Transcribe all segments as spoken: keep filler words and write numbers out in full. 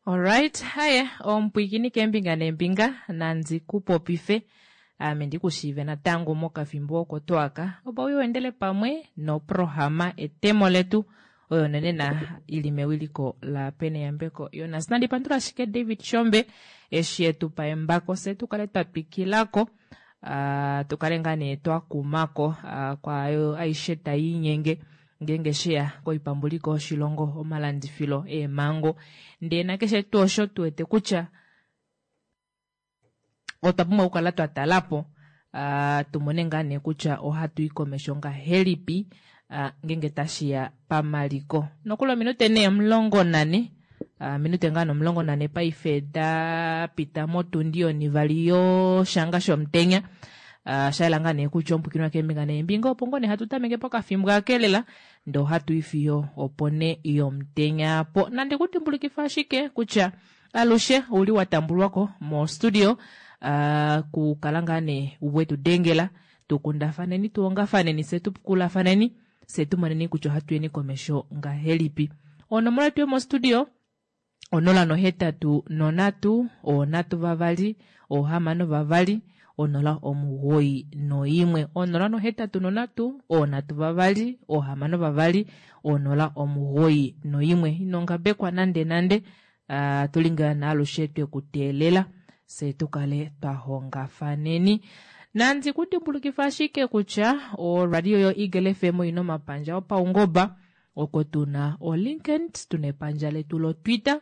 Alright, haye omupwiikini keembinga neembinga nandi ku popife ame ndi ku shiive natango mokafimbo oko twaka opo u endele pamwe noprohama etemo letu oyo nonena ili mewiliko la Peneyambeko Jonas. Nandi pandula ashike David Shombe eshi etu pa embako fye tu kale twa twikilako uh, tu kale ngaa nee twa kumako uh, kwaayo aishe tai inyenge ngeenge sheya koipambuliko yoshilongo, omalandifilo eemhango ndee nakeshe tuu osho tu wete kutya otwa pumbwa okukala twa talapo uh, tu mone ngaa nee kutya ohatu i komesho ngahelipi uh, ngeenge tashiya pamaliko. Nokuli ominute nee omulongo nane uh, minute ngaa nomulongo nane paife da pita motundi yonivali yoshanga shomutenya. Uh, shayela ngaa nee kutya omupwikinwa keembinga neembinga opo ngoo nee hatu tameke pokafimbo akelela ndee ohatu i fiyo opo ne yomutenya po. Nandi ku dimbulikifa ashike kutya alushe ouli wa tambulwako mo studio uh, kukala ngaa nee wetu dengela tukundafaneni tuongafaneni fye tukulafaneni fye tumoneni kutya ohatu yeni komesho ngahelipi. Onomola yetu yomostudio onola nohetatu nonhatu onhatu vavali ohamano vavali onola omugoyi noimwe onola nohetatu nonhatu onhatu vavali ohamano vavali onola omugoyi noimwe. Ino ngabekwa nande nande uh, tuli ngaa naalushe twekuteelela fye tukale twa hongafaneni. Nandi ku dimbulukifa ashike kutya oradio yo Eagle F M oina omapandja opaungoba oko tuna o LinkedIn, tuna epandja letu lo Twitter,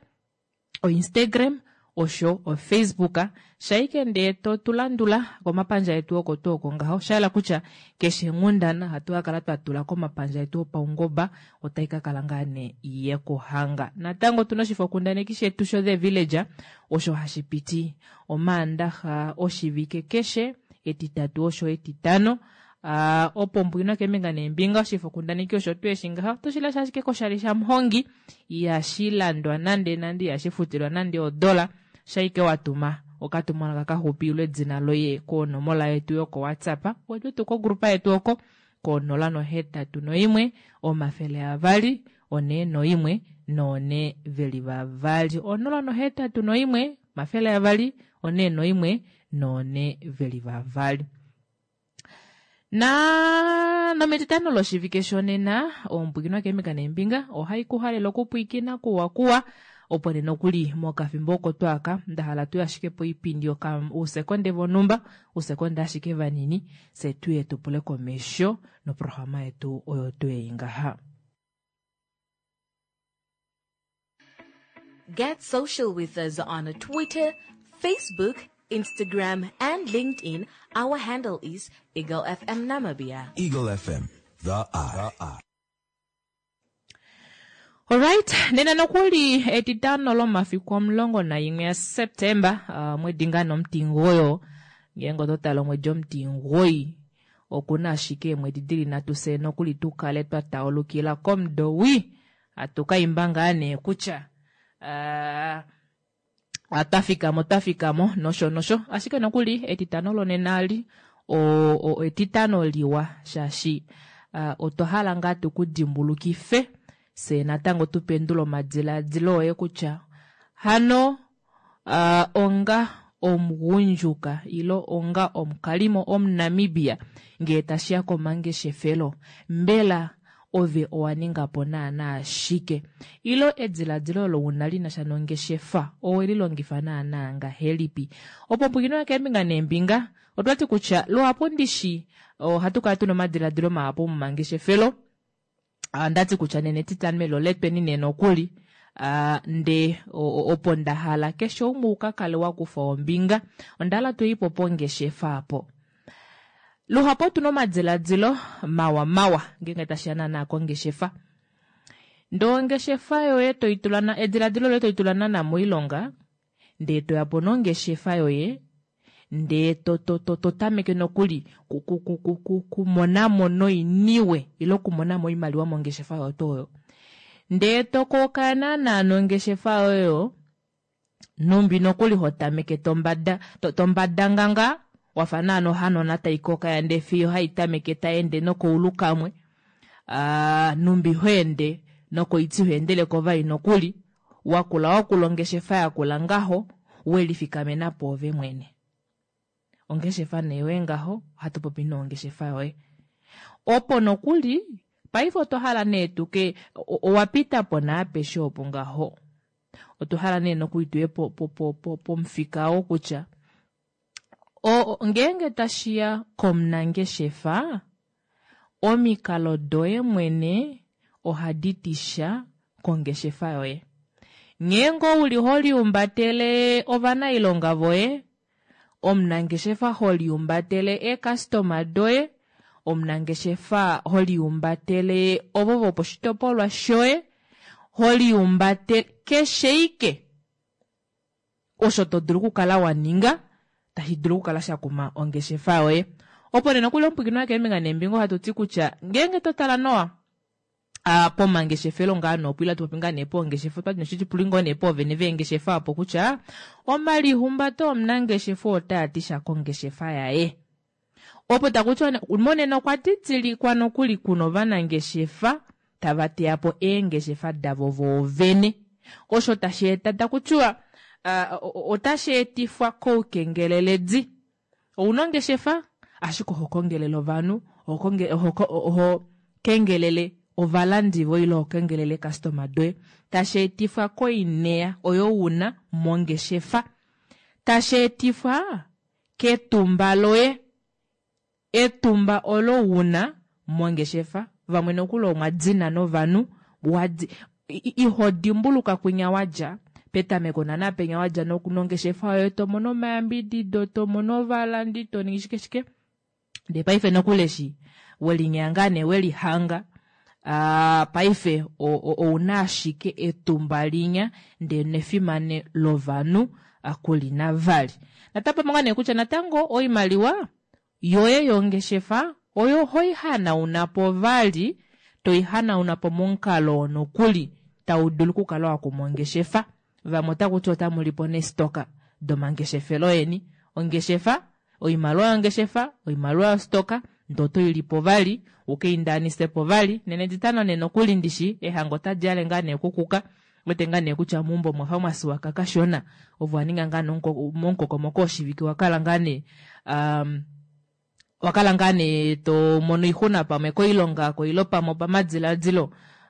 o Instagram osho o Facebook. Shaike ndee to tulandula komapandja etu oko tuu oko ngaho, shayela kutya keshe nghundana hatu ka kala twa tula komapandja etu opaungoba otai ka kala ngaa nee yekuhanga. Natango tuna oshifokundaneki shetu sho The Villager osho hashi piti omaandaxa oshivike keshe, etitatu osho etitano. Uh, opo mbwina keembinga neembinga oshifokundaneki osho tuu eshi ngaha otoshi lesha ashike koshali shamuhongi, ihashi landwa nande nande, ihashi futilwa nande odola, shaike watuma okatumwalaka kaxupi ile edina loye konomola yetu yoko WhatsApp wetu kogrupa yetu oko konola nohetatu noimwe omafele avali one noimwe noone veli vavali onola nohetatu noimwe omafele avali one noimwe noone veli vavali. Na nometitano loshivike shonena ompwikinwa keembinga neembinga ohai kuhalele okupwiikina kuwa kuwa opo nee nokuli mokafimbo oko twaka nda hala tuye ashike poipindi ousekonde vonhumba ousekonde ashike vanini fye tuye tupule komesho noprograma yetu oyo twei ngaha. Get social with us on Twitter, Facebook, Instagram, and LinkedIn. Our handle is Eagle F M Namibia. Eagle F M, the eye. Alright, nena nokuli etitano lomafiku omulongo naimwe ya Septemba, uh, mwedi ngaa nomutingoyo, ngeenge oto tala omwedi omutingoyi, okuna ashike eemwedi dili nhatu fye nokuli tukale twa taulukila komudo wii, hatu ka imba ngaa nee kutya, uh, twa fikamo, twa fikamo, nosho nosho. Ashike nokuli etitano lonena li, o, o, etitano liwa, shaashi, uh, otwa hala ngaa tukudimbulukife fye natango tupendule omadiladilo oye kutya hano, uh, onga omugundjuka ilo onga omukalimo omuNamibia ngee tashiya komangeshefelo, mbela ove owa ninga po naana shike? Ilo ediladilo olo una li na sha nongeshefa owe li longifa naana ngahelipi? Opo mpwikinwa keembinga neembinga otwati kutya luhapu ndishi ohatu kala tuna omadiladilo mahapu momangeshefelo. Andati kutya nene etitano elo letweni nene nokuli, ah, nde opo nda hala keshe umwe uka kale wa kufa ombinga, onda hala tuipo pongeshefa apo. Luhapu otuna omadiladilo mawa mawa ngeenge tashiya naana kongeshefa. Ndee ongeshefa yoye toitula na, ediladilo loye toitula naana moilonga, ndee toya po nongeshefa yoye, ndee to, to, to, to tameke nokuli ku, ku, ku, ku, ku, kumonamo noiniwe ilo kumonamo oimaliwa mongeshefa yoye to oyo. Ndee to koka naana nongeshefa yoye, numbi nokuli ho tameke tombada, to, tombadanganga, wafa naana ohanona tai koka ya ndee fiyo hai tameke tai ende nokoulu kamwe. Ah, numbi ho ende nokoiti ho endele ko vai nokuli, Wakula wakula ongeshefa yakula ngaho, welifikamena pwoove mwene. Ongeshefa nee yoye ngaho, ohatu popi nee ongeshefa yoye. Opo nokuli, paife otwa hala nee tuke, owa pita po naapeshe opo ngaho. Otwa hala nee nokuli tuye pomufika oo kutya, ngeenge tashiya komunangeshefa, omikalo doye mwene ohadi ti sha kongeshefa yoye. Nghee ngoo uli ho liumbatele ovanailonga voye, omunangeshefa ho liumbatele eekastoma doye, omunangeshefa ho liumbatele ovo voposhitopolwa shoye, ho liumbatele keshe ike osho to dulu okukala wa ninga tashi dulu okukala sha kuma ongeshefa yoye. Opo nee nokuli omupwiikini wakeembinga neembinga ohatu ti kutya ngeenge to tala nawa pomangeshefelo ngaa noopo ile hatu popi ngaa nee poongeshefa, otwati noshitipuli ngoo nee poovene veengeshefa opo kutya omalihumbato omunangeshefa otaa ti sha kongeshefa yaye. Opo taku tiwa monena okwa didilikwa nokuli kuna ovanangeshefa tava teya po eengeshefa davo voovene. Osho tashi eta taku tiwa otashi etifwa koukengeleledi. Ouna ongeshefa ashike oho kongelele ovanhu, oho kengelele ovalandi voye ile oho kengelele eekastoma doye. Tashi etifwa koineya oyo una mongeshefa. Tashi etifwa ketumba loye. Etumba olo una mongeshefa. Vamwe nokuli omwa dina novanhu, iho dimbuluka kwinya wadja petameko naana penya wadja nongeshefa yoye to mono omayambidido, to mono ovalandi, to ningi shike shike. Ndee paife nokuli eshi welinyanga ngaa nee welihanga, paife ouna ashike etumba linya ndee nefimane lovanhu kulina vali. Natapamo ngaa nee kutya natango oimaliwa yoye yongeshefa oyo hoi hanauna po vali, toi hanauna po momukalo nokuli tau dulu okukala wa kuma ongeshefa. Vamwe otaku ti otamu lipo neestoka domangeshefelo yeni. Ongeshefa, oimaliwa yongeshefa, oimaliwa yostoka, ndee oto i lipo vali, uke indaanise po vali. Nena etitano nee nokuli ndishi, ehango otali yale ngaa nee kukuka. Wete ngaa nee kutya meumbo mwafa mwa siwaka kashona. Ovo wa ninga ngaa momukokomoko woshivike wa kala ngaa nee, wa kala ngaa nee to mono oixuna pamwe koilonga, koilo pamwe opamadiladilo.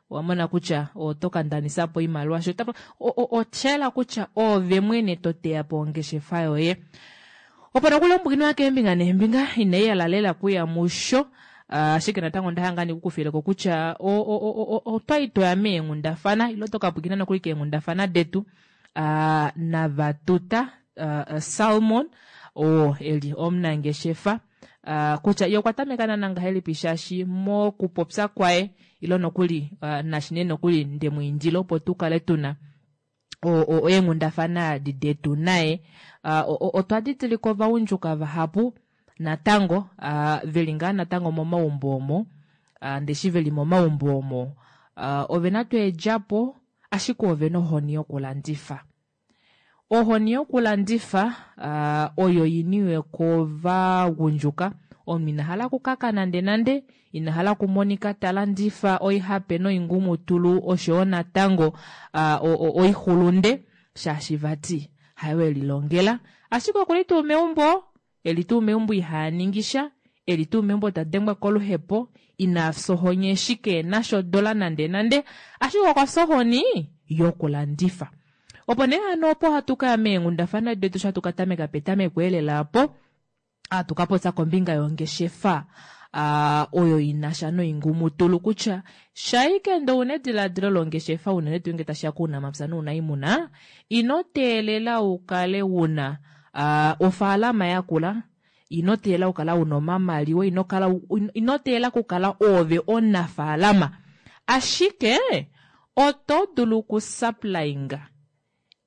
Wa mona kutya oto ka ndanisa po oimaliwa sho osha yela kutya oove mwene to teya po ongeshefa yoye. Opo nokuli omupwiikini wakeembinga neembinga inai yala lela kuya musho, ashike natango onda hala ngaa nee kukufileko kutya otwali toya meenghundafana ile oto ka pwiikina nokuli keenghundafana detu navatuta Salmon oo eli omunangeshefa kutya ye okwa tameka naana ngahelipi shaashi mokupopya kwaye ile nokuli nashi nee nokuli ndemwiindila opo tu kale tuna eenghundafana adi detu naye. Otwa didilika ovaundjuka vahapu natango veli ngaa natango momaumbo omo, ndeshi veli momaumbo omo ovena tuu eedjapo ashike ovena ohoni yokulandifa. Ohoni yokulandifa oyo iniwe kovagundjuka. Omunhu ina hala okukaka nande nande, ina hala okumonika ta landifa oihape noingumutulu oshoyo natango oixulunde shaashi vati hayo elilongela. Ashike okuli tuu meumbo, eli tuu meumbo iha ningi sha, eli tuu meumbo ta dengwa koluhepo, ina fya ohoni eshi keena shodola nande nande, ashike okwa fya ohoni yokulandifa. Opo nee hano opo hatu kaya meenghundafana detu sho hatu ka tameka petameko elela opo, hatu ka popya kombinga yongeshefa oyo inasha noingumutulu kutya shaike ndee ouna ediladilo longeshefa unene tuu ngee tashiya kounamapya nounaimuna, ino teelela ukale una ofaalama yakula, ino teelela okukala una omamaliwa, ino teelela okukala oove omunafaalama, ashike oto dulu okusupplyinga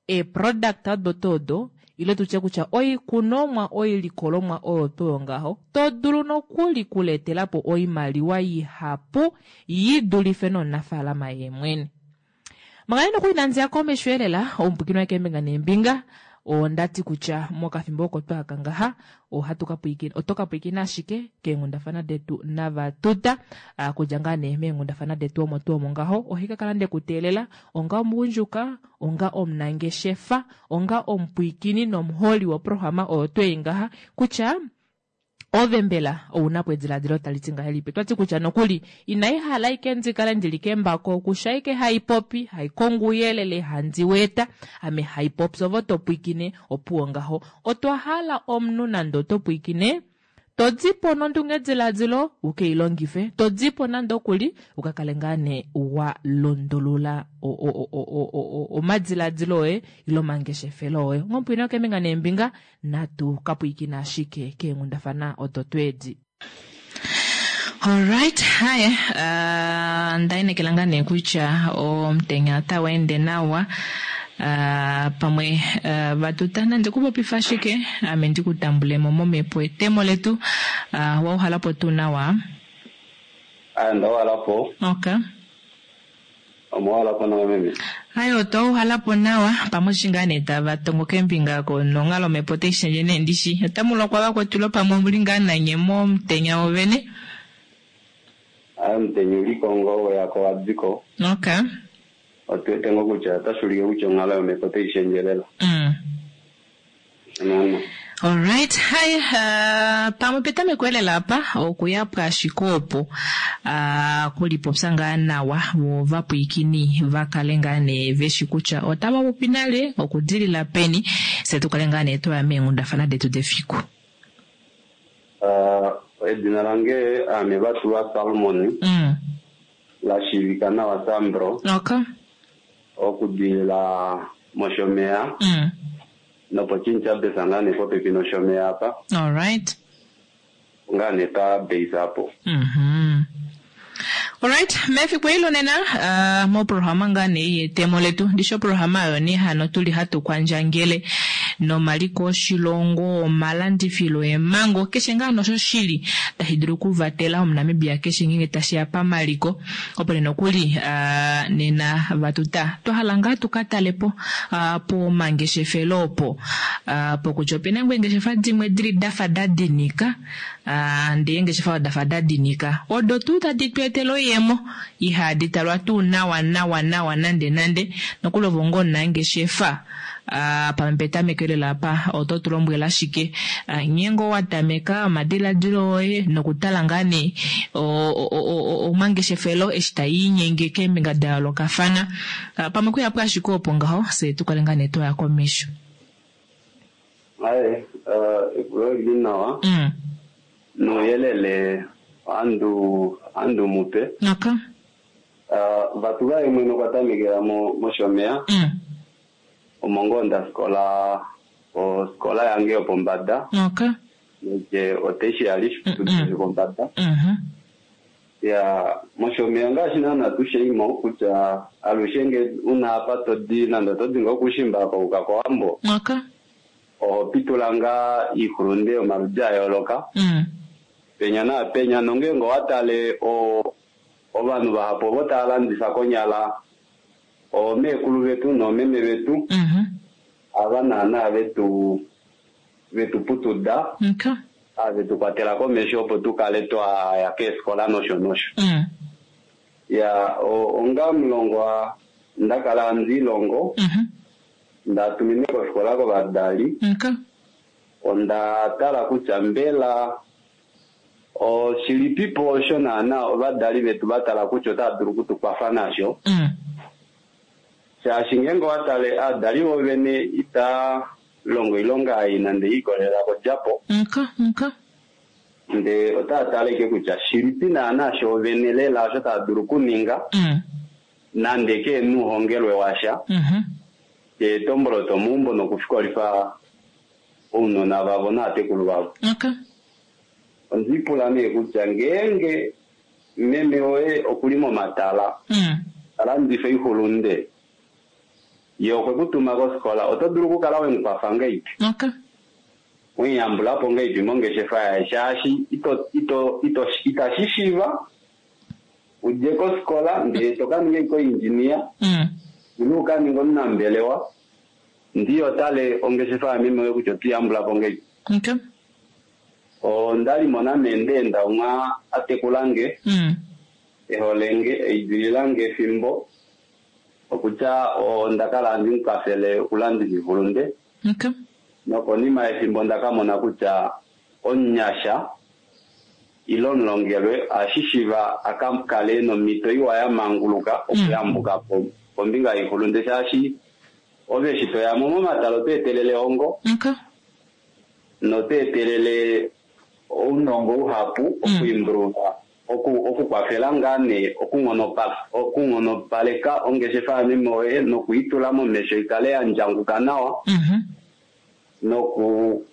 eeproduct odo tuu odo ile tutye kutya oikunomwa oilikolomwa oyo tuu ngaho to dulu nokuli kuletela po oimaliwa ihapu yi dulife nomunafaalama yeemwene. Manga nokuli nandiya komesho elela omupwiikini wakeembinga neembinga Ondati kutya mokafimbo oko twaka ngaha ohatu ka pwiikina oto ka pwiikina ashike keenghundafana detu navatuta kudja ngaa nee meenghundafana detu omo tuu omo ngaho ohika kala ndekuteelela onga omugundjuka, onga omunangeshefa, onga omupwiikini nomuholi woprograma oyo twei ngaha kutya ove mbela ounapo ediladilo tali ti ngahelipi. Otwati kutya nokuli inai hala ike ndikale ndili kembako okusha ike haipopi, haikongo ouyelele, handi weeta ame haipopi ovo topwiikine opuwo ngaho. Otwa hala omunhu nande oto pwiikine todipo nondungediladilo ukeilongife, todipo nande okuli ukakale ngaa nee wa lundulula omadiladilo oye ile omangeshefelo oye. Ngomupwina okeembinga neembinga natu kapwiikina ashike keenghundafana odo tweedi. Alright, haye uh, ndainekela ngaa nee kutya omutenya otawu ende nawa. Uh, pamwe uh, vatuta nande kupopifa ashike ame ndikutambulemo momhepo etemo letu. Uh, wauhalapo tuu nawa? Ndauhalapo. Okay. Omwahalapo nawa meme. Hayi otwauhalapo nawa pamwe eshi ngaa nee tava tongo keembinga nonghalo omhepo otai shendje nee ndishi. Otamu lokwa vakwetu lopamwe omuli ngaa nanye momutenya wovene? Ayi omutenya uliko ngoo weyako wadiko. Okay. Otuwete ngoo kutya otashi ulike kutya onghalo yomhepo otai shendje lela. Mm. Naana. Alright, hai uh, pamwe petameko elela apa okuya pwaashike opo uh, kulipopya ngaa nawa vo vapwiikini vakale ngaa nee veshi kutya otava popi nale okudilila peni se tukale ngaa nee twaya meenghundafana detu defiku. Uh, edina lange ame Vatulwa Salmon. Mm. La shiivika nawa Sambro. Okay. Okudilila mOshomeya. Mm. Nopochincha besa ngaa nee popepi nOshomeya apa. Alright. Ngaa nee pa base apo. Mhm. Alright, mefiku ilo nena uh, moprograma ngaa nee yetemo letu ndisho programa oyo nee hano tuli hatu kwandjangele nomaliko oshilongo, omalandifilo emango, keshe ngaa nosho shili tashi dulu okuvatela omuNamibia keshe ngeenge tashiya pamaliko. Opo nee nokuli uh, nena vatuta twahala ngaa tukatalepo uh, pomangeshefelo opo uh, pokutya opena ngoo eengeshefa dimwe dili dafa dadinika uh, ndee eengeshefa dafa dadinika odo tuu tadi tu etele oiyemo ihadi talwa tuu nawa nawa nawa nande nande nokuli ovo ngoo omunangeshefa Uh, pamwe petameko lela apa oto tu lombwele ashike uh, nghee ngoo wa tameka omadiladilo oye nokutala ngaa nee omangeshefelo eshi taiinyenge keembinga da yoolokafana. Uh, pamwe kuyapo ashike opo ngaho fye tukale ngaa nee twaya komesho. Aye, uh, epulo lili nawa. Mm. Nouyelele andu andu mupe. Okay. Uh, Vatulwa ye mwene okwa tamekela mo mOshomeya. Mm. Omo ngoo ndafikola ofikola yange yopombada. Okay. Neke otertiary Mm -mm. yopombada. Mhm. Ya mOshomeya ngaashi naana tusheimo kutya alushe nge una apa todi nande otodi ngoo okushimba kouka kOwambo. Okay. Oho pitula ngaa iihulunde yomaludi a yooloka. Mm. Penya naapenya nongeenge owatale o ovanhu vahapu ovo tava landifa konyala oomeekulu vetu noomeme vetu. Mhm. Ava naana vetu vetu putuda. Okay. Ave tu kwatela komesho opo tukale twaya keefikola nosho nosho. Mm. Ya onga omulongwa ndakala handi ilongo. Mhm. Ndatumine kofikola kovadali. Okay. Onda tala kutya mbela oshilipipo osho naana ovadali vetu vatala kutya otava dulu okutukwafa nasho. Mm. Shaashi ngeenge owatale aadali vovene ita longo oilonga ei nande ikolelela kodjapo. Okay, okay. Ndee otava tale ashike kutya shilipi naana shoovene lela osho tava dulu okuninga. Mm. Nande keena ouhongelwe washa. Mhm. Eetombolo tomeumbo nokufikolifa ounona vavo naatekulu vavo. Okay. Ondipula nee kutya ngeenge meme woye okuli momatala. Mm. Talandifa oihulunde. Ye okwe kutuma kofikola oto dulu okukala wemukwafa ngahelipi? Okay. Wemuyambulapo ngahelipi mongeshefa yaye shaashi ito ito ito itashi shiiva udje kofikola ndee toka ninga ashike oindjinia Mm. ile uka ninga omunambelewa Ndiyo tale ongeshefa yameme oyo kutya otuyambula po ngei. Okay. Onda li mona meendeenda umwe a tekulange Mm. eholenge eidililange efimbo okutya onda kala handi mu kwafele okulandifa iihulunde Okay. nokonima yefimbo onda ka mona kutya omunyasha ile omulongelwe ohashi shiva a ka kale nomhito iwa ya manguluka okuyambuka po kombinga yoihulunde shaashi ove eshi toyamo momatala oto etelele ehongo Okay. noto etelele ounongo uhapu okuimbuluka oku okukwafela ngaa nee okunghonopala okunghonopaleka ongeshefa yameme woye nokuitula momesho ikale ya ndjanguka nawa Mhm. noku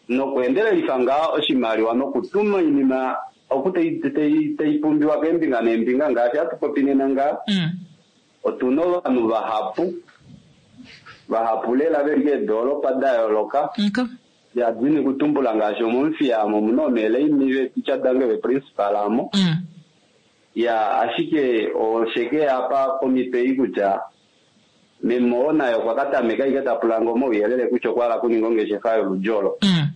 nokuendelelifa ngaa oshimaliwa nokutuma oinima oku tai- tai tai pumbiwa keembinga neembinga ngaashi hatu popi nena ngaa Mm. otuna ovanhu vahapu vahapu lela veli keedoolopa da yooloka Okay. yadini kutumbula ngaashi omomuthiya amo omuna omeeleimi veeticha dange veprincipal amo Mm. ya ashike osheke yapa pomhito ei kutya meme oo naye okwa ka tameka ike ta pula ngo omauyelele kutya okwa hala okuninga ongeshefa yoludjolo Mm.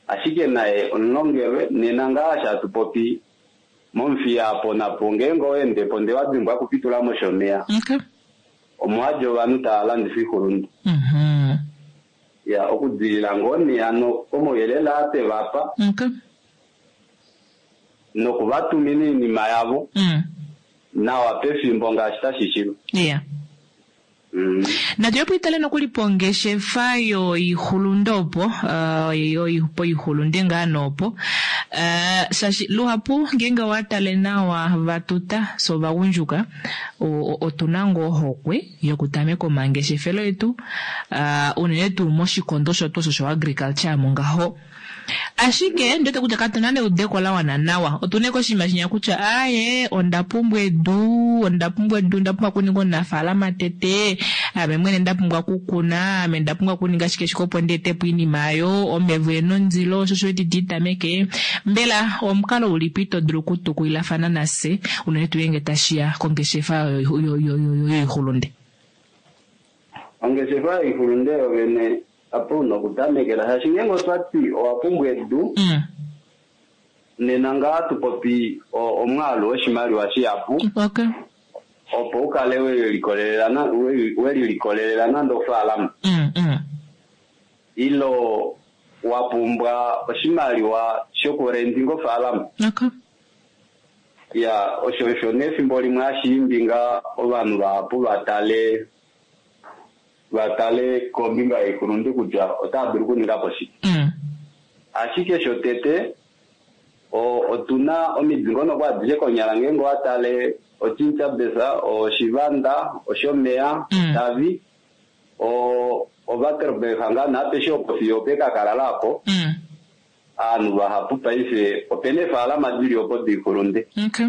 ashike naye omulongelwe nena ngaa hatu popi momuthiya apo napo ngeenge oweende po ndee wadimbwa okupitula moshomeya Okay. omo hadi ovanhu tava landifa oihulunde Mhm. ya okudilila ngoo nee hano komauyelele aa tevapa Okay. nokuvatumina oinima yavo Mm. nawa pefimbo ngaashi tashi shiva Yeah. mm. Natu yopo itale nokuli pongeshefa yoihulunde opo uh, yo- poihulunde ngaa noopo uh, shaashi luhapu ngeenge owa tale nawa vatuta so ovagundjuka o- o- otuna ngoo ohokwe yokutameka omangeshefelo etu uh, unene tuu moshikondo shotu osho sho-agriculture mo ngaho ashike ndiwete kutya katuna neudeko la wana nawa otuna koshinima shinya kutya aye onda pumbwa edu onda pumbwa edu onda pumbwa okuninga omunafaalama tete ame mwene nda pumbwa okukuna ame nda pumbwa okuninga shike shike opo ndi etepo iinima ayo omeva ena ondilo osho osho eti tameke mbela omukalo ulipi to dulu okutukulilafana nase unene tuu ngenge tashiya kongeshefa yoihulunde ongeshefa yoihulunde yovene apo una okutamekela shaashi ngeenge otwati owa pumbwa edu mm. nena ngaa tupopi o- omwaalu woshimaliwa shihapu okay opo ukale welikolelela na- we- welilikolelela nande ofaalama mm, mm. ilo wa pumbwa oshimaliwa shokurendinga ofaalama okay ya osho osho nefimbo limwe hashi ngaa ovanhu vahapu vatale vatale kombinga yoikulundu kutya otava dulu okuninga po shike mm. ashike shotete o- otuna omidingonoko adishe konyala ngeenge owatale ochinchabesa oshivanda oshomeya Mm. otavi o ovaterberg ngaa naapeshe opo fiyo opekakalala apo Mm. aanhu vahapu paife opena eefaalama dili opo diikulunde okay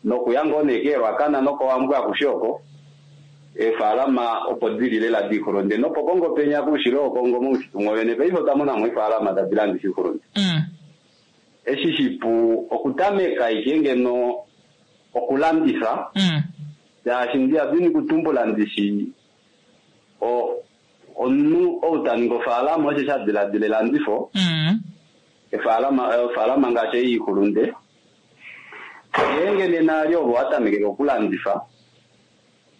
nokuya ngoo nee keelwakana nokowambwa akushe oko eefaalama opo dili lela diikulunde nopokongo penya koushilo wokongo moushitu mwovene paife otwa monamo eefaalama tadi landifa iikulunde mm. eshi shipu okutameka ike ngeno okulandifa Mm. shaashi ndiyadini kutumbula ndishi o omunhu ou ta ningi ofaalama osho sha diladila elandifo Mm. efaalama ofaalama ngaashi ei iikulunde ngeenge nena ali ovo watamekele okulandifa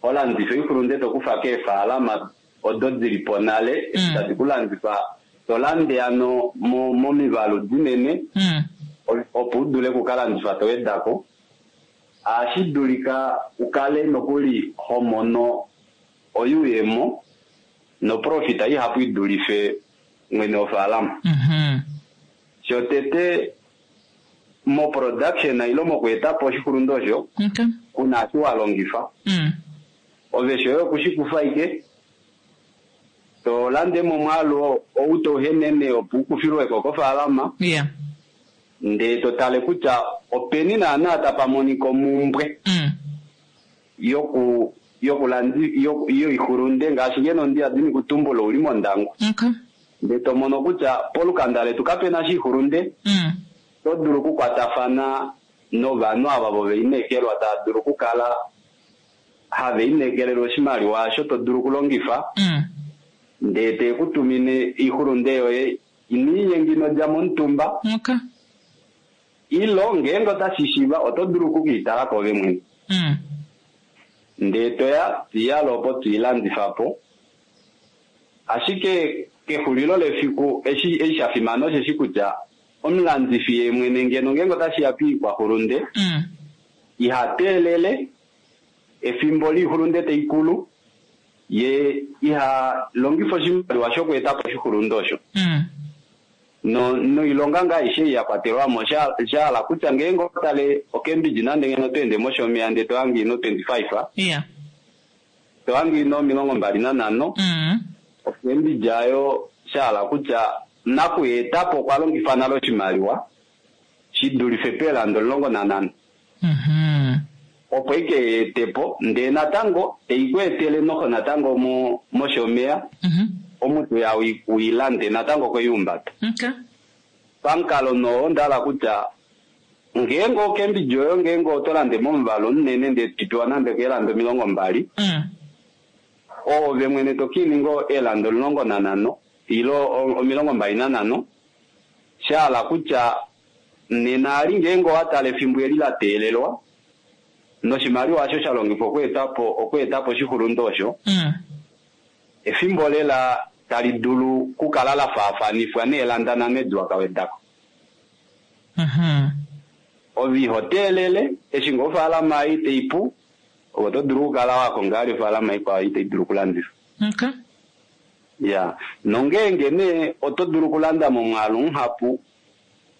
olandifa oikulunde tokufa keefaalama odo dili po nale eshi Mm. tadi kulandifa tolande ano mo- momivalu dinene Mm. opo udule okukalandifa towedako ohashi dulika ukale nokuli ho mono oyuuyemo noprofita ihapu idulife mwene wofaalama Mhm. shotete moproduction ile mokweetapo oshikulundu osho Okay. kuna eshi wa longifa Mm. ove shoye okushikufa ike tolande momwaalu oo ou touhenene opo ukufilweko kofaalama Yeah. ndee totale kutya openi naana tapa monika omumbwe Mm. yoku yokulandi yoku- yoikulunde ngaashi ngeno ndiyadini kutumbula uli mondangwa Okay. ndee tomono kutya polukanda letu kapena shiikulunde Mm. to dulu okukwatafana novanhu ava voveinekelwa tava dulu okukala have inekelelwa oshimaliwa osho to dulu okulongifa Mm. Ndee te ku tumine oixulunde yoye iniinyenga ino dja momutumba. Okay. Ilo ngeenge otashi shiiva oto dulu okukiitala ko ove mwene. Mm. Ndee toya twiyala opo twiilandifa po. Ashike kexulilo lefiku eshi eshi sha fimana osheshi kutya omulandifi ye mwene ngeno ngeenge otashi ya piikwaxulunde Mm. iha teelele efimbo liixulunde taikulu ye iha longifa oshimaliwa shokweeta po oshixulunde osho. Mm. No noilonga ngaa aishe ya kwatelwa mo sha hala kutya ngeenge otale oCambridge nande ngeno toende moshomeya ndee tohange ino twenty-five Yeah. tohange ino omilongo mbali nanhano Mm. oCambridge ayo sha hala kutya nakuyeetapo okwa longifa nale oshimaliwa shi dulife peelanda omulongo nanhano. Mhm. Opo ike yeetepo ndee natango teiku etele noho natango mo moshomeya Mhm. omuntu ya uilande natango kweiumbata. Okay. Pamukalo noo onda kutya ngeenge oCambridge oyo ngeenge oto lande momuvalo munene ndee topewa nande keelanda omilongo mbali Mm. oove mwene tokininga eelanda omulongo nanhano ilo omilongo mbali nanhano sha hala kutya nena ali ngeenge owatala efimbo eli la teelelwa noshimaliwa osho sha longifwa okweetapo okweetapo oshixulunde osho Mm. efimbo lela tali dulu kukala la faafanifwa neelanda nhano edi wakawedako. Mhm. Ove iho teelele eshi ngoo ofaalama ei taipu ove oto dulu okukala wakonga ali ofaalama ikwao ei tai dulu okulandifwa. Okay. Ya nongeenge nee oto dulu okulanda momwaalu muhapu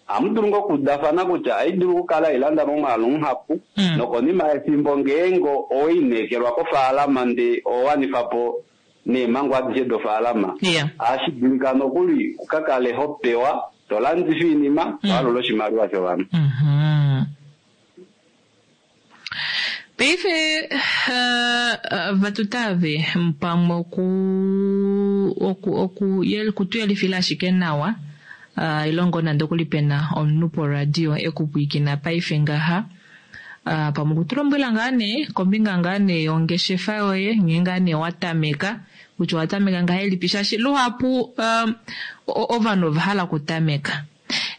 ohamu dulu ngoo okuudafana kutya ohai dulu okukala hailanda momwaalu muhapu Mm. nokonima yefimbo ngeenge oweineekelwa kofaalama ndee owawanifa po neemhango adishe dofaalama Yeah. ohashi dulika nokuli ukakale ho pewa to landifa oinima to alula oshimaliwa shovanhu. Mhm. Paife uh, vatutave pamwe oku oku oku yel kutuyelifila ashike nawa uh, ilongo nande okuli pena omunhu poradio ekupwiikina paife ngaha uh, pamwe okutulombwela ngaa nee kombinga ngaa nee yongeshefa yoye nghee ngaa nee watameka kutya owatameka ngahelipi shaashi luhapu um, ovanhu ova hala okutameka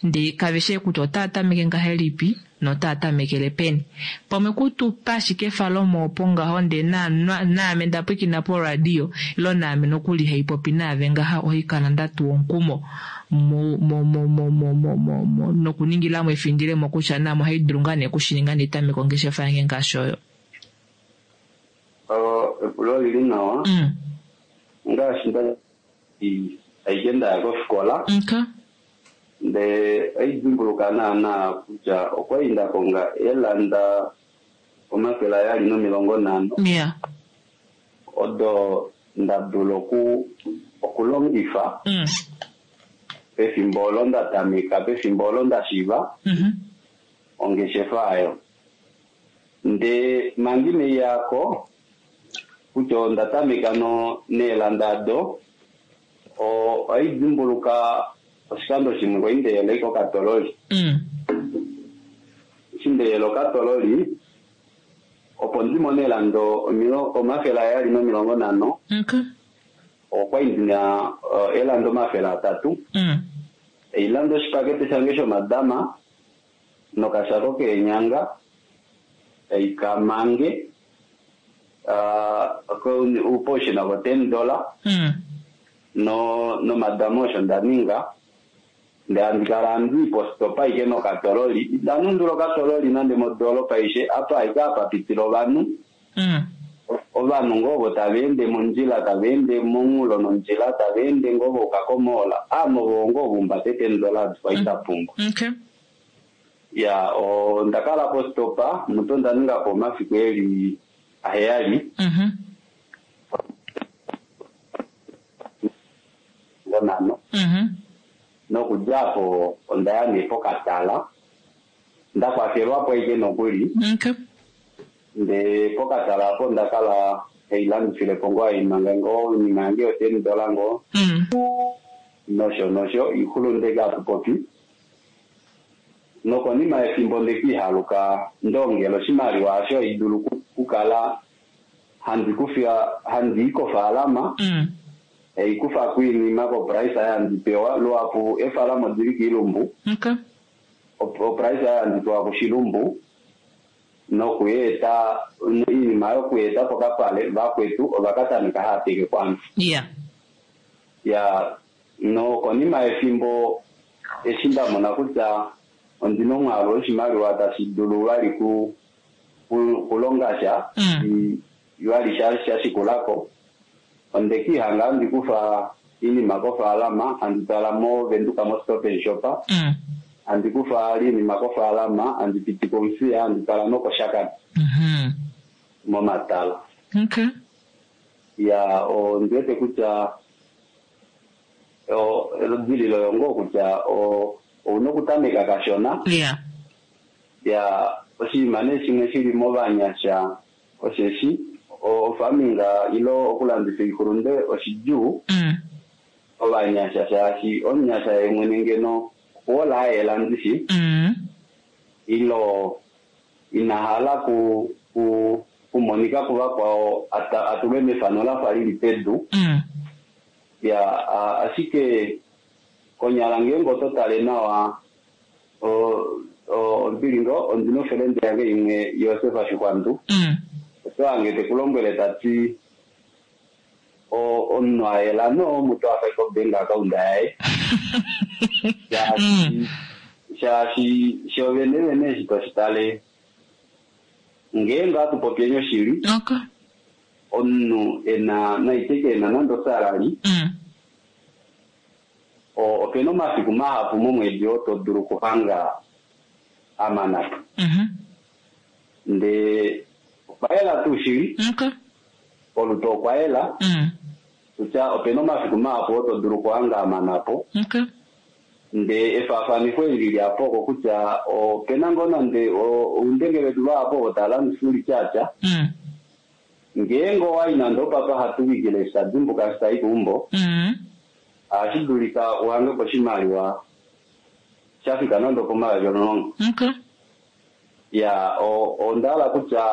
ndee kave kutya otaa tameke ngahelipi notaa tamekele peni pamwe kutupa ashike efalomo opo ngaho ndee naame ndapwikina poradio ilo naame nokuli haipopi naave ngaha ohaikala ndatuwa omukumo mo mo mo mo mo mo mo mo nokuningilamo efindilemo kutya naame ohaidulu ngaa nee okushininga nditameke ongeshefa yange ngaashi oyo. Epulo olili nawa. Mm. Ngaashi nda aike ndaya kofikola Okay. ndee oidimbuluka naana kutya okwali nda konga eelanda omafele ayali nomilongo nhano Yeah. odo nda dula oku okulongifa Mm. pefimbo olo nda tameka pefimbo olo nda shiiva Mhm. ongeshefa ayo ndee manga ineiyako kutya onda tameka no neelanda ado oidimbuluka oshikando shimwe kwali ndeyela ike okatololi. Mm. Eshi ndeyela okatololi opo ndimone eelanda omafele ayali nomilongo nhano Okay. okwali ndina eelanda omafele atatu Mm. eilanda oshipakete shange shomadama nokashako keenyanga eikamange poushina vo ten dollar Mm. no nomadama osho nda ninga ndee handi kala handi postopa aike nokatololi indanundula okatololi nande modoolopa aishe apa aike apa pitila ovanhu Mm. ovanhu ngoo ovo tava ende mondjila tava ende monghulo nondjila tava ende ngoo vouka komoola ame ovo ngoo vumbate ten dollars kwali ndapumbwa. Okay. Ya onda kala postopa mutu onda ninga po omafiku eli aheyali Mhm. nhano Mhm. nokudja apo ondaya nee pokatala ndakwafelwapo aike nokuli Okay. ndee pokatala apo onda kala hailandifilepo ngoo haimanga ngoo oinima yange yo ten dollar ngoo Mm. nosho nosho ixulunde hatu popi nokonima yefimbo ndekihaluka ndongela oshimaliwa osho idulu kukala handi kufiya handi i kofaalama Mm. Haikufa kuinima koprice handi pewa luhapu efalamo dili kiilumbu Okay. oprice handi pewa kushilumbu nokuyeeta iinima yokuyeeta pokapale vakwetu ovakatameka haya teke kwame Yeah. ya nokonima yefimbo eshi nda mona kutya ondina omwaalu woshimaliwa tashi dulu vali ku ku- kulonga sha Mm. i- vali sha sha shikulako onde kiihanga handi kufa iinima kofaalama handi twala movenduka mo stop and shop Mm. handi kufa iinima kofaalama handi piti komuthiya handi twala nokoshakati Mhm. momatala Okay. ya ondi wete kutya o- eludililo yongo kutya o- ouna okutameka kashona Yeah. ya oshinima nee shimwe shili movanyasha osheshi o- ofaminga ilo okulandifa oihulunde oshidjuu Mm. ovanyasha shaashi omunyasha ye mwene ngeno okuhola ayelandifi Mm. ilo inahala ku ku kumonika kuvakwao ata- atulwe mefano lafa lili pedu Mm. ya a- ashike konyala ngeenge oto tale nawa o- o- ombili ngo ondina ofelende yange imwe Josef Shikwandu Mm. oto hange tekulombwele tati o- omunhu ayela no mutu afa kobank account yaye shaashi shaashi shovene vene eshi toshi tale ngeenge atu popyeni oshili Okay. omunhu ena naiteke ena nande osalali Mm. o- opena omafiku mahapu momwedi oo to dulu okuhanga amanapo Mhm. ndee okwa yela tuu shili Okay. olutu okwa yela Mm. kutya opena omafiku mahapu oo to dulu okuhanga amanapo Okay. ndee efaafanifo eli lili apo oko kutya opena ngoo nande o- oundenge vetu vahapu ovo tava landifa ulityatya Mm. ngeenge owayi nande opapa hatuvikile eshi tadimbuka eshi tayi keumbo Mm. ohashi dulika uhange po oshimaliwa shafika nande opomayovi omulongo Okay. ya o- onda hala kutya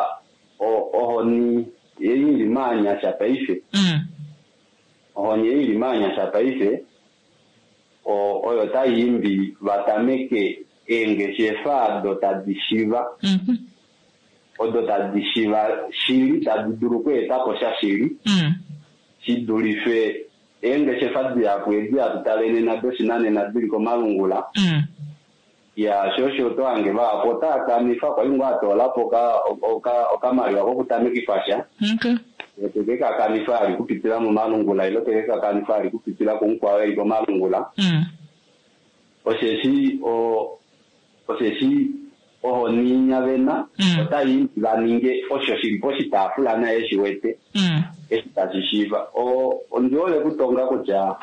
o- ohoni ei ili maanyasha paife Mm. ohoni ei ili maanyasha paife o- oyo tai imbi vatameke eengeshefa ado tadi shiva Mhm. odo tadi shiva shili tadi dulu okweetapo sha shili Mm. shi dulife eengeshefa dihapu edi hatu tale nena doshinanena dili komalungula Mm. ya sho osho oto hange vahapu otaa kanifa kwali ngoo atoolapo oka- oka- okamaliwa kokutamekifa sha Okay. teke kakanifa ali kupitila momalungula ilo teke kakanifa ali kupitila kumukwao eli komalungula Mm. osheshi o osheshi ohoni vena Mm. otai imbi vaninge osho shili poshitaafula naye shi wete Mm. eshi tashi shiiva O- ondi hole kutonga kutya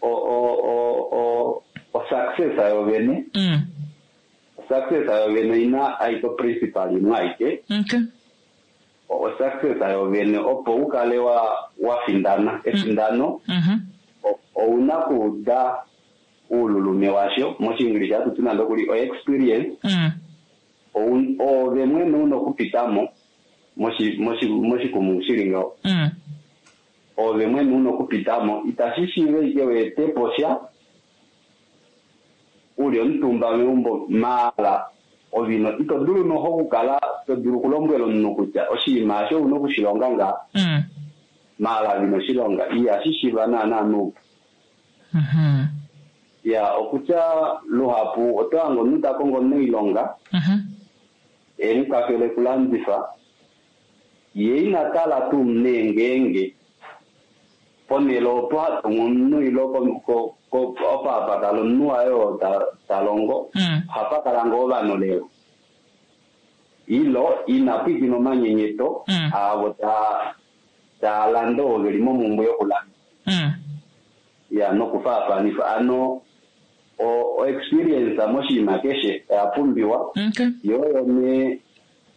o- o- o- o- osuccess yovene Mm. osuccess yovene oina aiko principal imwe aike Okay. osuccess yovene opo ukale wa wafindana efindano Mhm. o- ouna kuuda uululume washo moshiingilisha hatu ti nande okuli oexperience Mm. ou- oove mwene una okupitamo moshi- moshi- moshikumungu shili ngaho Mm. oove mwene una okupitamo itashi shiiva ike weetepo sha uli omutumba meumbo maala ovino ito dulu noho okukala to dulu okulombwela omunhu kutya oshinima asho ouna okushilonga nga Mm. maala vino shilonga ihashi shiiva naana nuupu Mhm. ya okutya luhapu oto hange omunhu ta kongo omunailonga Mhm. emukwafele okulandifa ye ina tala tuu nee ngeenge ponhele opo hatumwa omunhu ilo ko- ko- ko- opo hapa kala omunhu waye oo ta- ta longo Mm. ohapa kala ngoo ovanhu lelo ilo ina pwiikina omanyenyeto Mm. aavo taa taa landa ovo veli momumbwe yokulanda Mm. ya nokufaafanifa ano o- o experience moshinima keshe oya pumbiwa Okay. yo oyo nee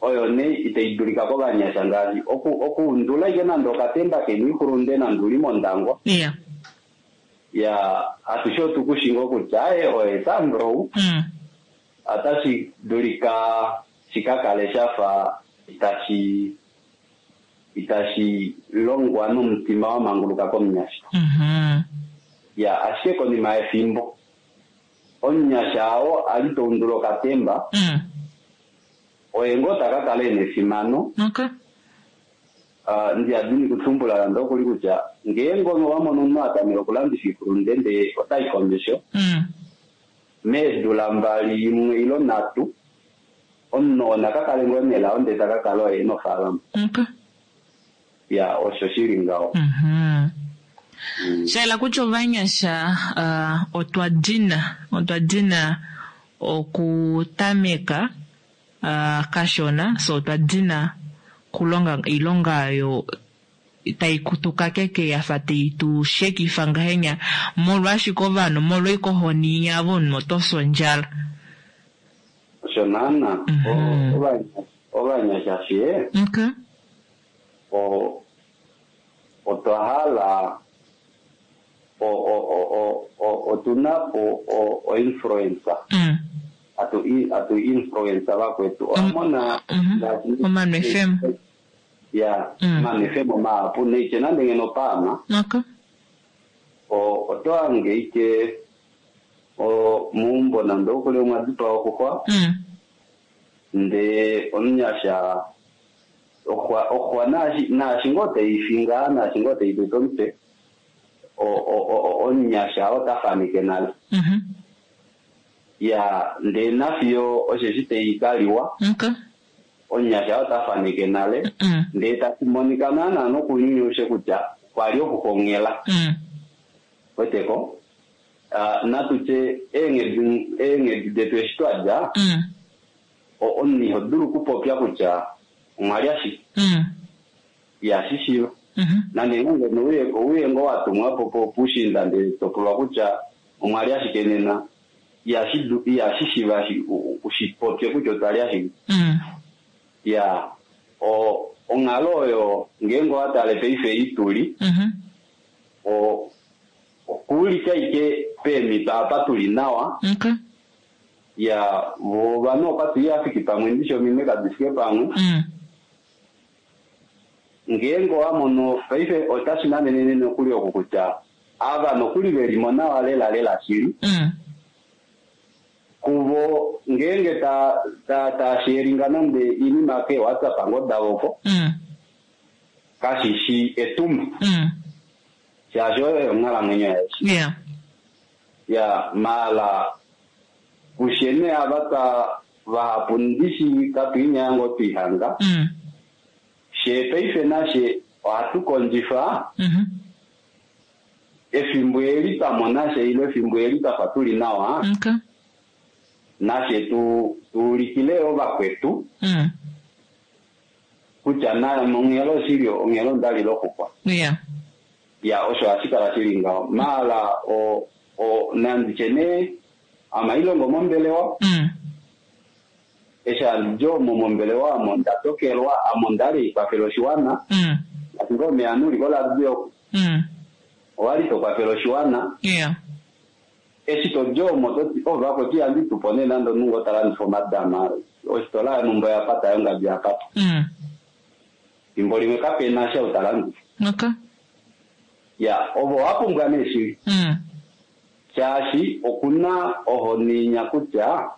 oyo nee itai dulika kovanyasha ngaashi oku- okuundula ike nande okatemba keni ikulunde nande uli mondangwa Yeah. ya atushe otukushinga kutya aye oye sandrow Mm. otashi dulika shika kale shafa tashi itashi longwa nomutima wa manguluka komunyasha. Mhm. Ya, ashike konima yefimbo omunyasha oo a li taundula okatemba Mm. oye ngoo ta ka kala ena efimano. Okay. Ah, ndiyadini kutumbula nande okuli kutya ngeenge owa mono omunhu a tameka okulandifa iihulunde ndee otai komesho Mm. meedula mbali imwe ilo nhatu omunhu oo naka kale ngoo nelao ndee taka kala oye nofaalama. Okay. Ya, osho shili ngaho. Mhm. Mm. Shaela kutya ovanyasha uh, otwa dina otwa dina okutameka uh, kashona so otwa dina kulonga oilonga oyo tai kutukakeke yafa tai tu shekifa ngahenya molwashike ovanhu molwoikohoni yavo omunhu oto fi ondjala. Osho naana. Mhm. O- ovanya- ovanyasha fye Okay. o- otwa hala o- o- o- o- o- otuna po o- o-influencer Mm. atu atu influencer vakwetu owamona Mhm. ngaashi- Omanu FM. ya Mm. omanu FM mahapu neitye nande ngeno paama Okay. o- oto hange ike o- meumbo nande okuli omwa dipawa oxuxwa Mm. ndee omunyasha oxwa oxwa naashi naashi ngoo teifi ngaa naashi ngoo teitete omutwe o- o- o- omunyasha ota faneke nale. Mhm. Ya, ndee nafiyo osheshi teikaliwa Okay. omunyasha ota faneke nale Mm. ndee tashi monika naana nokunyunyushe kutya kwali okuxongela Mm. weteko. Ah, natutye eenghedi eenghedi detu eshi twadja Mm. o- omunhu iho dulu okupopya kutya omwa li ashike Mm. ihashi shiiva. Mhm. Nande ngoo ngeno ouye ouye ngoo wa tumwa po po puushiinda ndele to pulwa kutya omwa li ashike nena ihashi du- ihashi shiiva shi- u- u- ushi popye kutya otwa li ashike. Mm. Ya, o- onghalo oyo ngeenge owa tale paife ei tuli Mhm. o- okuulika ike peemhito apa tuli nawa. Okay. Ya, vo ovanhu okwati ihafiki pamwe ndishi ominwe kadi fike pamwe. Mm. Ngeenge owa mono paife otashi nanenene nokuli oku kutya ava nokuli velimo nawa lela lela shili Mm. kuvo ngeenge ta ta ta sharinga nande oinima ke WhatsApp ngoo davo oko Mm. kashishi etumba Mm. shaashi oyo onghalamwenyo yaye. Yeah. Ya, maala kushene ava twa vahapu ndishi katuinyaya ngoo twihanga Mm. she paife nashe ohatu kondjifa Mhm. efimbo eli twa mona she ile efimbo eli twafa tuli nawa Okay. nashe tu tuulikile ovakwetu Mm. kutya na onghelo oshili onghelo ondali loxuxwa. Yeah. Ya, osho hashi kala shili ngaho maala o o nanditye nee amailongo mombelewa Mm. eshi handidi omo mombelewa amo nda tokelwa amo ndali kwafela oshiwana Mm. ngaashi ngoo omeya uli koladio oku Mm. owali tokwafela oshiwana Yeah. eshi todi omo toti oh vakwetu ihandi tupo nee nande omunhu ngoo talandifa omadama ositola yonhumba oya pata yongabi ya pata Mm. fimbo limwe kapena sha utalandifa. Okay. Ya, ovo owa pumbwa nee shili Mm. shaashi okuna ohoninya kutya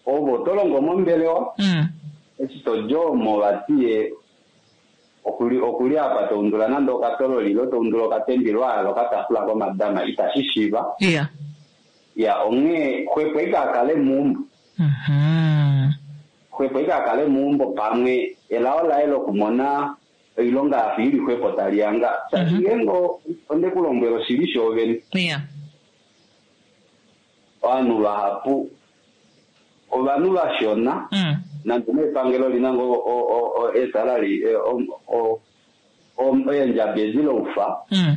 ovo to longo mombelewa Mm. eshi todi omo vatiye okuli okuli apa toundula nande okatololi ilo toundula okatemba hala okatafula komadama itashi shiiva. Yeah. Ya, onghee xwepo ike akale meumbo Mhm. xwepo ike akale meumbo pamwe elao laye lokumona oilonga yafa ili xwepo tali yanga shaashi Mhm. ngeenge onde ku lombwela oshili shoovene Yeah. ovanhu vahapu ovanhu vashona Mm. nande nepangelo lina ngoo o- o- o- esalary eh, o- o- o- eendjabi edi loufa Mm.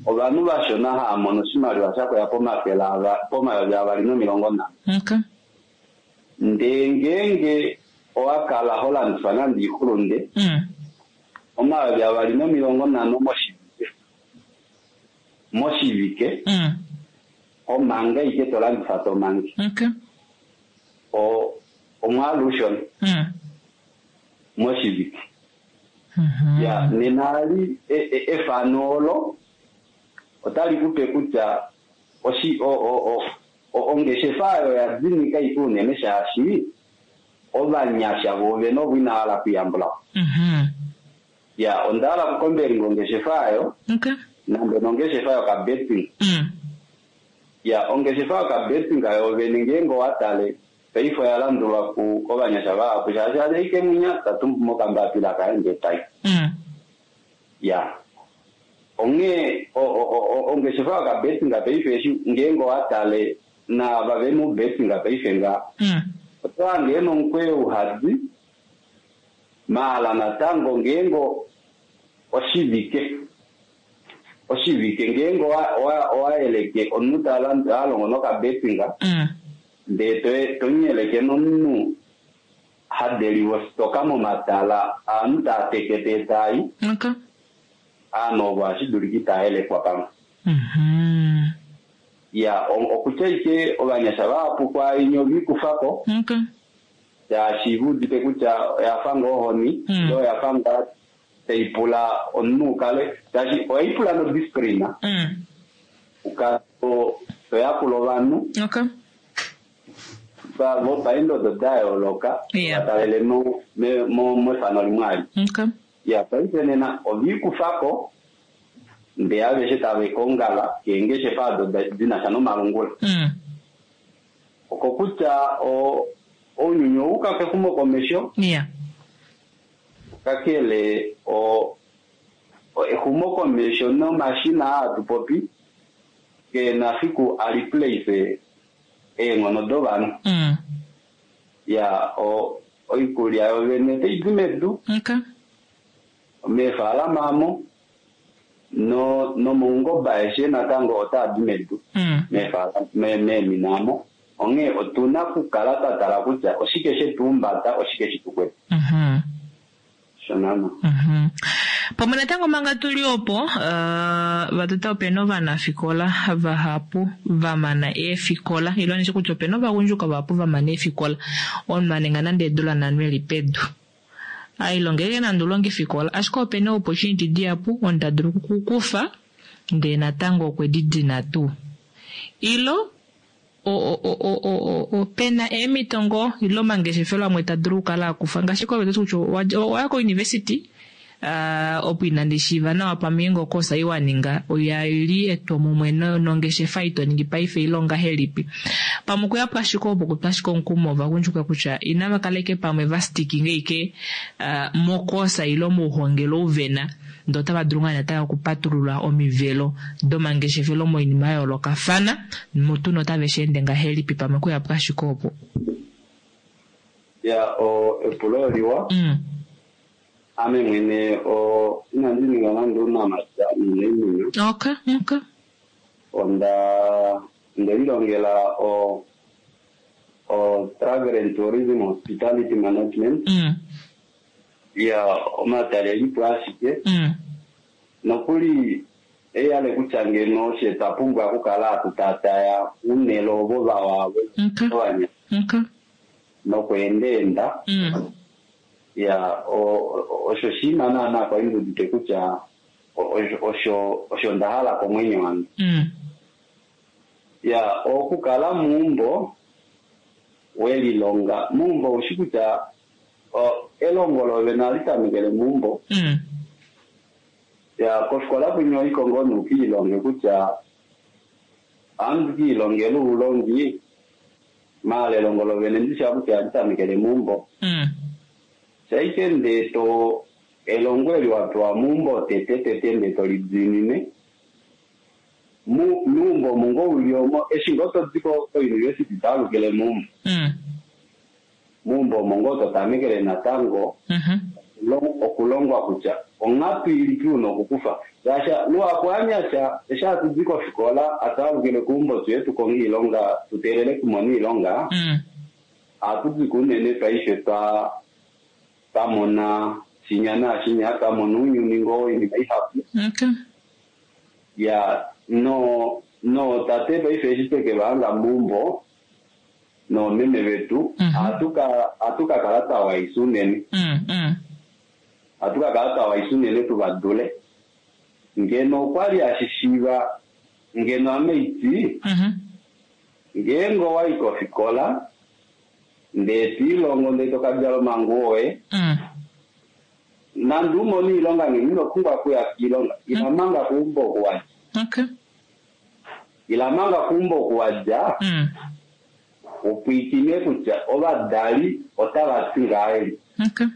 ovanhu vashona hava mono oshimaliwa shakoya pomafele ava- pomayovi avali nomilongo nhano. Okay. Ndee ngeenge owa kala ho landifa nande oixulunde Mm. omayovi avali nomilongo nhano moshivike moshivike Mm. omanga ike to landifa tomange Okay. o omwaalu ushona Mm. moshivike. Mhm. Ya, nena ali e- e- efano olo otali kupe kutya oshi o, o, o, o, ongeshefa oyo ya dinika ike unene shaashi ovanyasha voovene ovo ina hala okuyambula po. Mhm. Ya, onda hala okukombelinga ongeshefa oyo Okay. nande nongeshefa yokabetting. Mm. Ya, ongeshefa yokabetting yoovene ngeenge owatale paife oya landulwa ku kovanyasha vahapu shaashi adeike munya tatumbu mokambapila kaye ndee tai. Mm. Ya, onghee o- o- o- o- ongeshefa yokabetting paife eshi ngeenge owatale naava ve mubetting paife nga Mm. oto hange ena omukweyo uhadi maala natango ngeenge oshivike oshivike ngeenge owa- owa- owayeleke omunhu ta lan- ta longo nokabetting Mm. ndee to- tonyeleke nomunhu hadeliwa ositoka momatala aanhu taa tekete taayi Okay. aanhu ovo ohashi dulika itayelekwa pamwe. Mhm. Ya, o- okutya ike ovanyasha vahapu kwaainya oviikufako Okay. shaashi vuudite kutya oyafa ngoo ohoni Mm. ile oyafa ngaa taipula omunhu ukale shaashi ohaipula nodisciplina Mm. ukale to- toyakula ovanhu Okay. va- vopaendodo da yooloka Yeah. vatalele mo- me- mo- mefano limwe ali. Okay. Ya, paife nena oviikufako ndee aveshe tave kongala keengeshefa ado da- dinasha nomalungula. Mm. Oko kutya o- ounyuni ouka kexumokomesho Yeah. kakele o o- exumokomesho nomashina aa tupopi keena fiku a replace eenghono dovanhu. Mm. Ya, o oikulya yovene otaidi medu Okay. meefalama amo no nomoungoba aeshe natango otaadi medu Mm. meefalama me- meemina amo onghee otuna okukala twa tala kutya oshike shetuumbata oshike shitukwete Mhm. shonano. Mhm. Pamwe natango manga tuli opo uh, vatota opena ovanafikola vahapu vamana eefikola ilo nishe kutya opena ovagundjuka vahapu vamana eefikola omunhu aninga nande eedula nhano eli pedu ailongeke nande ulonge efikola ashike opena opportunity dihapu omunhu tadulu okukukufa ndee natango okwe didina tuu ilo o- o- o- o- o- opena eemhito ngoo ile omangeshefelo amwe tadulu okukala akufa ngaashi koveta kutya owa- owaya kouniversity uh, opo inandi shiiva nawa pamwe nge okosa ei waninga oya li etwomumwe no- nongeshefa ito ningi paife ile ongahelipi pamwe okuyapo ashike opo kutwa ashike omukumo ovagundjuka kutya inava kaleke pamwe va stickinge ike uh, mokosa ile mouhongelo uvena ndee otava dulu ngaa natango okupatulula omivelo domangeshefelo moinima ya yoolokafana mutu notave shi ende ngahelipi pamwe okuyapo ashike opo. Ya, o epulo oliwa. Mm. Ame mwene o inandi ninga nande ounamapya nuuniimuna. Okay, okay. Onda onde lilongela o o travel and tourism hospitality management. Mm. Ya, omatalelipo ashike Mm. nokuli eyale kutya ngeno oshe twa pumbwa okukala hatu tataya uunele ovo vawa Okay. ovanya Okay. nokweendeenda. Mm. Ya, o- o- osho oshinima naana kwali ndiudite kutya o- osho osho osho nda hala komwenyo wange. Mm. Ya, okukala muumbo welilonga muumbo oushi kutya o, elongo lovene ohali tamekele muumbo. Mm. Ya, kofikola kwinya oiko ngoo nuukiilonge kutya ohandi kiilongela oulongi maala elongo lovene ndisha kutya ohali tamekele muumbo. Mm. Shaike ndee to elongo eli wapewa muumbo tete tete ndee tolidiinine mu meumbo omu ngoo uli omo eshi ngoo todi ko kouniversity taalukile meumbo. Mm. Meumbo omo ngoo totamekele natango Mhm. lo- okulongwa kutya onghatu ilipi una okukufa shaashi luhapu anyasha eshi hatudi kofikola ataalukile keumbo tuye tukonge iilonga tuteelele kumona iilonga Mm. ohatu diko unene paife twa twamona shinya naashinya twamona ounyuni ngoo oinima ihapu. Okay. Ya, no no tate paife eshi tweke vahanga meumbo noomeme vetu Mhm. ohatu ka ohatu ka kala twa waisa unene. Mm. Mm. Ohatu ka kala twa waisa unene tu va dule. Ngeno okwali hashi shiiva ngeno ame iti Mhm. ngeenge owayi kofikola ndee twiilongo ndee tokadjala omanguwo oye Mm. nande umone iilonga ngeno ino pumbwa okuya kiilonga ila manga keumbo oku wadja Okay. ila manga keumbo oku wadja Mm. upwiikine kutya ovadali otava ti ngahelipi Okay.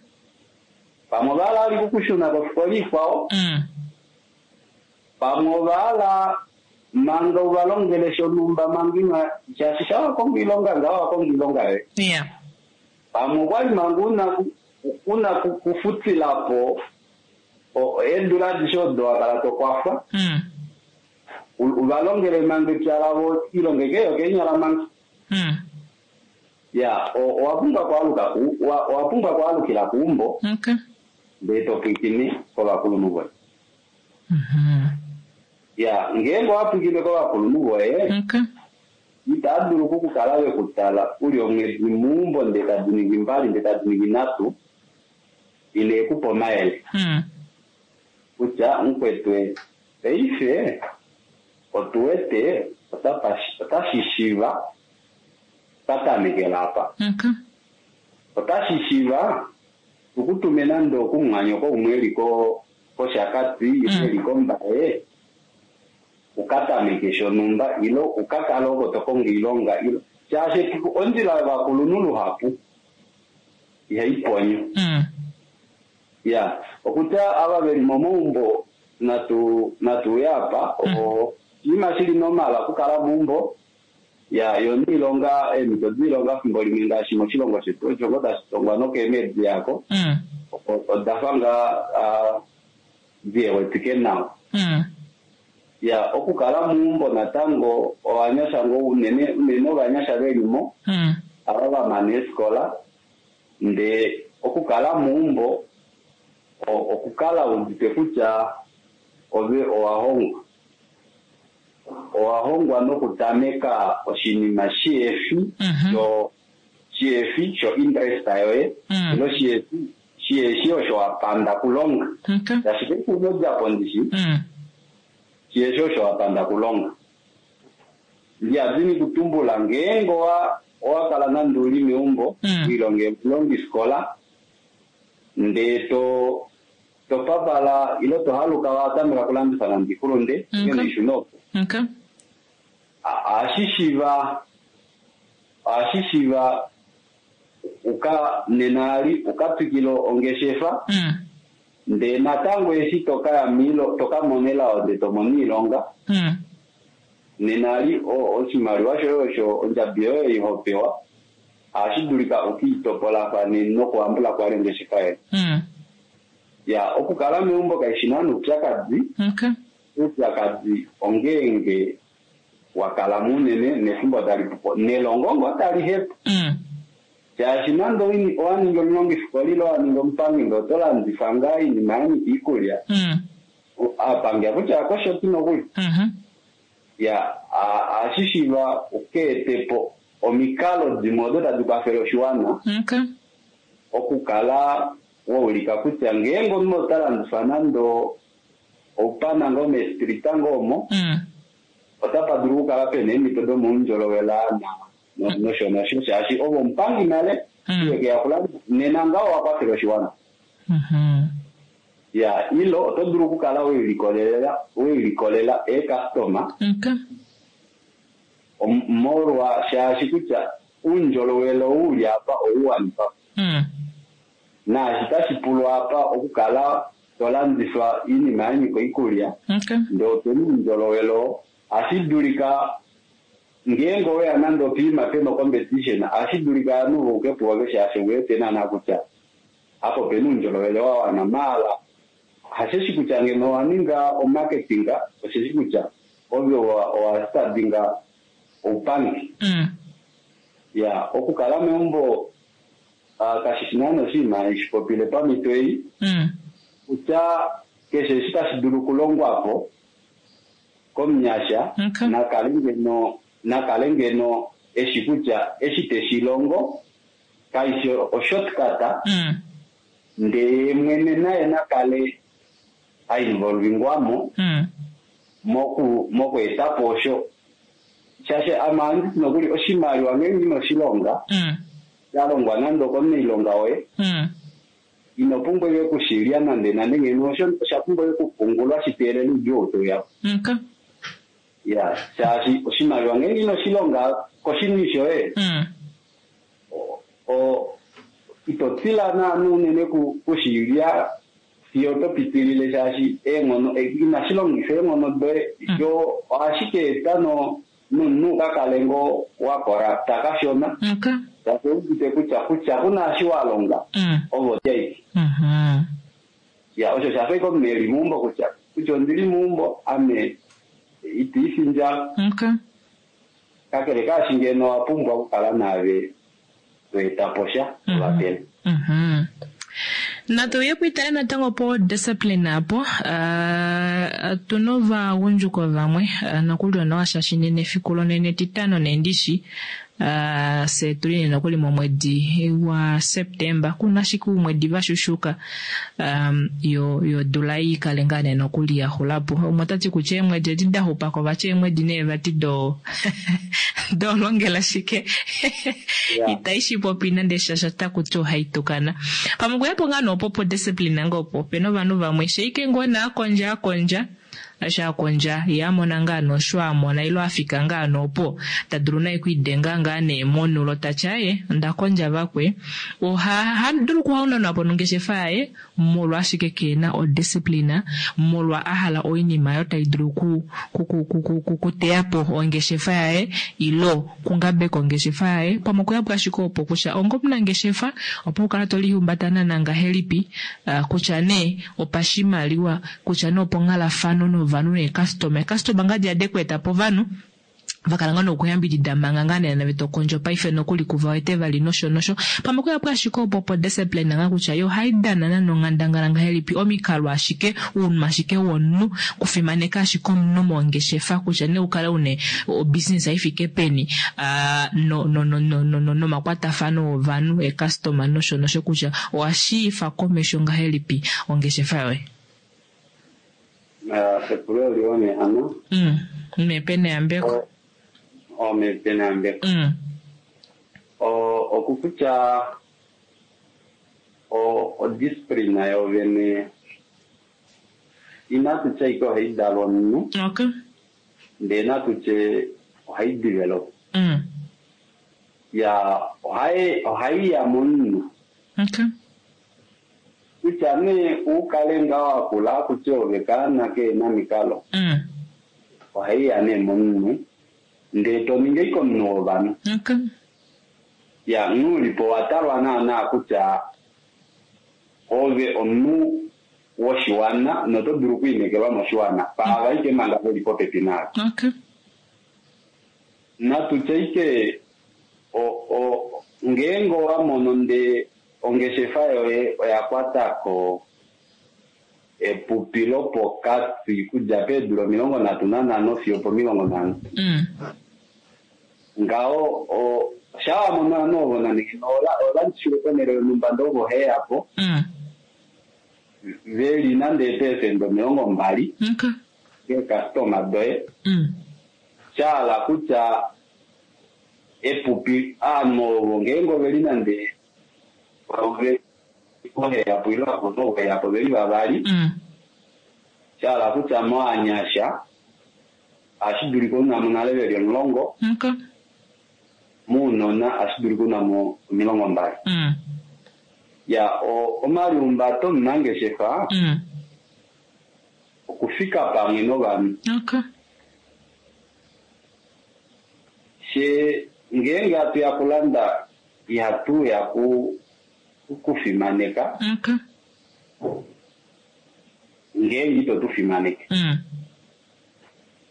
pamwe ovahala vali kukushuna kofikola ikwao Mm. pamwe ovahala manga uvalongele shonhumba manga ina shaashi shawakonga iilonga ngaho wakonga iilonga yoye Yeah. pamwe okwali manga una ku- una ku- kufutilapo o- eedula adishe odo wakala tokwafwa Mm. u- uvalongele manga epya lavo ilongeke yokeenyala manga Mm. ya o- owa pumbwa kwaaluka ku- owa owa pumbwa kwaalukila kuumbo Okay. ndee topwikine kovakulunhu voye Mhm. ya ngeenge owapwikine kovakulunhu voye Okay. itaa dulu okukukala vekutala uli omwedi muumbo ndee tadi ningi mbali ndee tadi ningi nhatu ile ekupa omayele Mm. kutya mukwetu paife otu wete otapa- otashi shiva twatamekela apa Okay. otashi shiva tukutume nande okumumwanyoko umwe eli ko- koshakati Mm. eli kombaye ukatameke shonhumba ilo ukakale oko tokonga iilonga ilo shaashi efiku ondjila yovakulunhu luhapu ihai ponyo Mm. ya okutya ava veli momaumbo natu natuuya apa o oshinima shili normal okukala meumbo ya yo niilonga eemhito diilonga fimbo limwe ngaashi moshilongo shetu osho ngo tashi tongwa nokeemedi yako Mm. o- odafa ngaa ah, dihewetike nawa Mm. ya okukala meumbo natango ovanyasha ngo unene unene ovanyasha velimo Mm. ava vamana eefikola ndee okukala meumbo o- okukala udite kutya ove owahongwa owahongwa nokutameka oshinima shihefi Mhm. sho shihefi sho interest yoye Mm. ilo shihefi shiheshi osho wapanda kulonga Okay. ashike kunodjapo ndishi Mm. shiheshi osho wapanda kulonga ndiyadini kutumbula ngeenge owa owakala nande uli meumbo Mm. wilonge mulongifikola ndee to topavala ilo tohaluka watameka kulandifa nande ikulunde Mm, ngeno ishuna opo Okay. ohashi shiva ohashi shiva uka nenali ukatwikila ongeshefa Mm. ndee natango eshi tokaya miilo tokamona elao ndee tomona iilonga Mm. nenali o- oshimaliwa shoye osho ondjabi yoye ihopewa ohashi dulika ukiitopolafane nokuhambula kwali ongeshefa yoye Mm. ya okukala meumbo kaishi nana upyakadi Okay. upyakadi ongeenge wakala munene nefimbo tali pupo nelongo ngo tali hepo Mm. shaashi nande oini- owaningi omulongifikola ile owaningi omupangi ndee oto landifa ngaa iinima yanyika iikulya Mm. aapangi akutya akoshoti nokuli Mhm. ya a- ohashi shiiva ukeetepo omikalo dimwe odo tadi kwafele oshiwana Okay. okukala waulika kutya ngeenge omunhu ota landifa nande oupana ngoo meestrita ngoo omo Mm. otapa dulu okukala pena eemhito domaundjolowele na no- nosho nosho shaashi ovo omupangi nale Mm. iwekeya kulanda nena ngaho owakwafela oshiwana Mhm. ya ilo oto dulu okukala weilikolelela weilikolela eecustoma Okay. om- molwa shaashi kutya uundjolowele ou uli apa ouwanifa Mm. naashi tashi pulwa apa okukala tolandifa iinima yanyika oikulya Okay. ndee opena uundjolowele oo ohashi dulika ngeenge oweya nande opiima pena ocompetition ohashi dulika ovanhu vauke puove shaashi owete naana kutya apa opena uundjolowele wa wana maala hasheshi kutya ngeno owa ninga omarketing osheshi kutya ove owa- owa stadinga oupangi Mm. ya okukala meumbo ah, kashi shi naana oshinima shipopile pamhito ei Mm. kutya keshe eshi tashi dulu okulongwapo komunyasha Okay. nakale ngeno nakale ngeno eshi kutya eshi teshilongo kaishi oshortcut Mm. Ndee ye mwene naye nakale a involvingwamo Mm. moku moku etapo osho. Shaashi ame ohandi ti nokuli oshimaliwa ngeenge ino shi longa, Mm. sha longwa nande okomunailonga woye, Mm. ino pumbwa ike okushilya nande nande ngeno osho osha pumbwa ike okupungulwa shi teelele oudjuu ou teuya po. Okay. Ya, shaashi oshimaliwa ngeenge ino shi longa koshini shoye, Mm. o- o ito tila naana unene ku- kushilya fiyo oto pitilile shaashi eenghono eh, inashi longifa eenghono doye Mm. yo ohashi ka eta no nomunhu u ka kale ngoo wa korapta kashona Okay. shaashi ouudite kutya kutya kuna eshi wa longa Mm. ovo taiki Mhm. ya osho shafa ike omunhu eli meumbo kutya kutya ondili meumbo ame itiifi ndjala Okay. kakele kaashi ngeno owa pumbwa okukala naave to eta po sha Mhm. ovapele Mhm. Natu uye pwiitale natango po discipline apo uh, tuna ovagundjuka vamwe uh, nokuli onawa shaashi nena efiku lonene etitano nendishi uh, fye tuli nee nokuli momwedi wa September kuna ashike uumwedi vashushuka um, yo yodula ei ikale ngaa nee nokuli yaxulapo umwe otati kutya eemwedi edi daxupako vati eemwedi nee vati do dolongela shike Ya. itai shipopi nande shasha takuti ohaitukana pamwe okuyapo ngaa noopo po discipline nga opo opena ovanhu vamwe sheike ngoo nee akondja akondja eshi akondja ye amona ngaa noosho amona ilo afika ngaa noopo tadulu naye okwiidenga ngaa nee monulo tati aye onda kondja vakwe oha hadulu okuhaunanwa po nongeshefa yaye molwa ashike keena odiscipline molwa ahala oinima oyo tai dulu ku- ku- ku- ku- ku- ku- kuteya po ongeshefa yaye ilo kungabeka ongeshefa yaye pamwe okuyapo ashike opo kutya onga omunangeshefa opo ukala to lihumbata naana ngahelipi uh, kutya nee opashimaliwa kutya nee oponghalafano novanhu neekastoma eekastoma ngadi ade kweeta po ovanhu vakala ngaa nokuyambidida manga ngaa nee nave tokondjo paife nokuli kuva wete vali nosho nosho pamwe okuyapo ashike opo po discipline ngaa kutya yo ohai dana nana onghandangala ngahelipi omikalo ashike uunhu ashike womunhu kufimaneka ashike omunhu mongeshefa kutya nee ukale une obusiness ifike peni uh, no, no, no, no, no, no, nomakwatafano ovanhu eekastoma nosho nosho kutya owashiifa komesho ngahelipi ongeshefa yoye Eh, epulo oliwa mehano mm. mepe neyambeko omepe neyambeko mm. O- okukutya o- odiscipline yovene inatu tya ike ohayi dalwa omunhu okay ndee natu tye ohayi develop mm. ya ohayi ohayi ya momunhu okay kutya nee ukale ngaa wakula kutya ove kaana keena mikalo mm. ohayi ya nee momunhu ndee toningi ike omunhu wovanhu okay ya nuulipo wa talwa naana kutya ove omunhu woshiwana noto dulu okwiinekelwa moshiwana paava ike manga veli popepi naave okay natu tye ike o- o- ngeenge owa mono nde ongeshefa yoye oya kwatako epupi lopokati kudja peedula omilongo nhatu nanhano fiyo pomilongo nhano mm. ngaho o- shaa wa mono ovanhu ovo nande ola- olandifile ponhele yonhumba ndee ovo heyapo Mm. veli nande eepesenda omilongo mbali okay keekastoma doye mm. shahala kutya epupi aanhu ovo ngeenge oveli nande ove oheyapo ile oheyapo veli vavali Mm. shahala kutya moanyasha ohashi dulika unamo nale veli omulongo okay muunona ohashi dulika unamo omilongo mbali mm. ya o- omaliumbato omunangeshefa Mm. okufika pamwe novanhu okay she ngeenge hatu ya kulanda ihatu ya ku kufimaneka okay ngeenge ito tu fimaneke mm.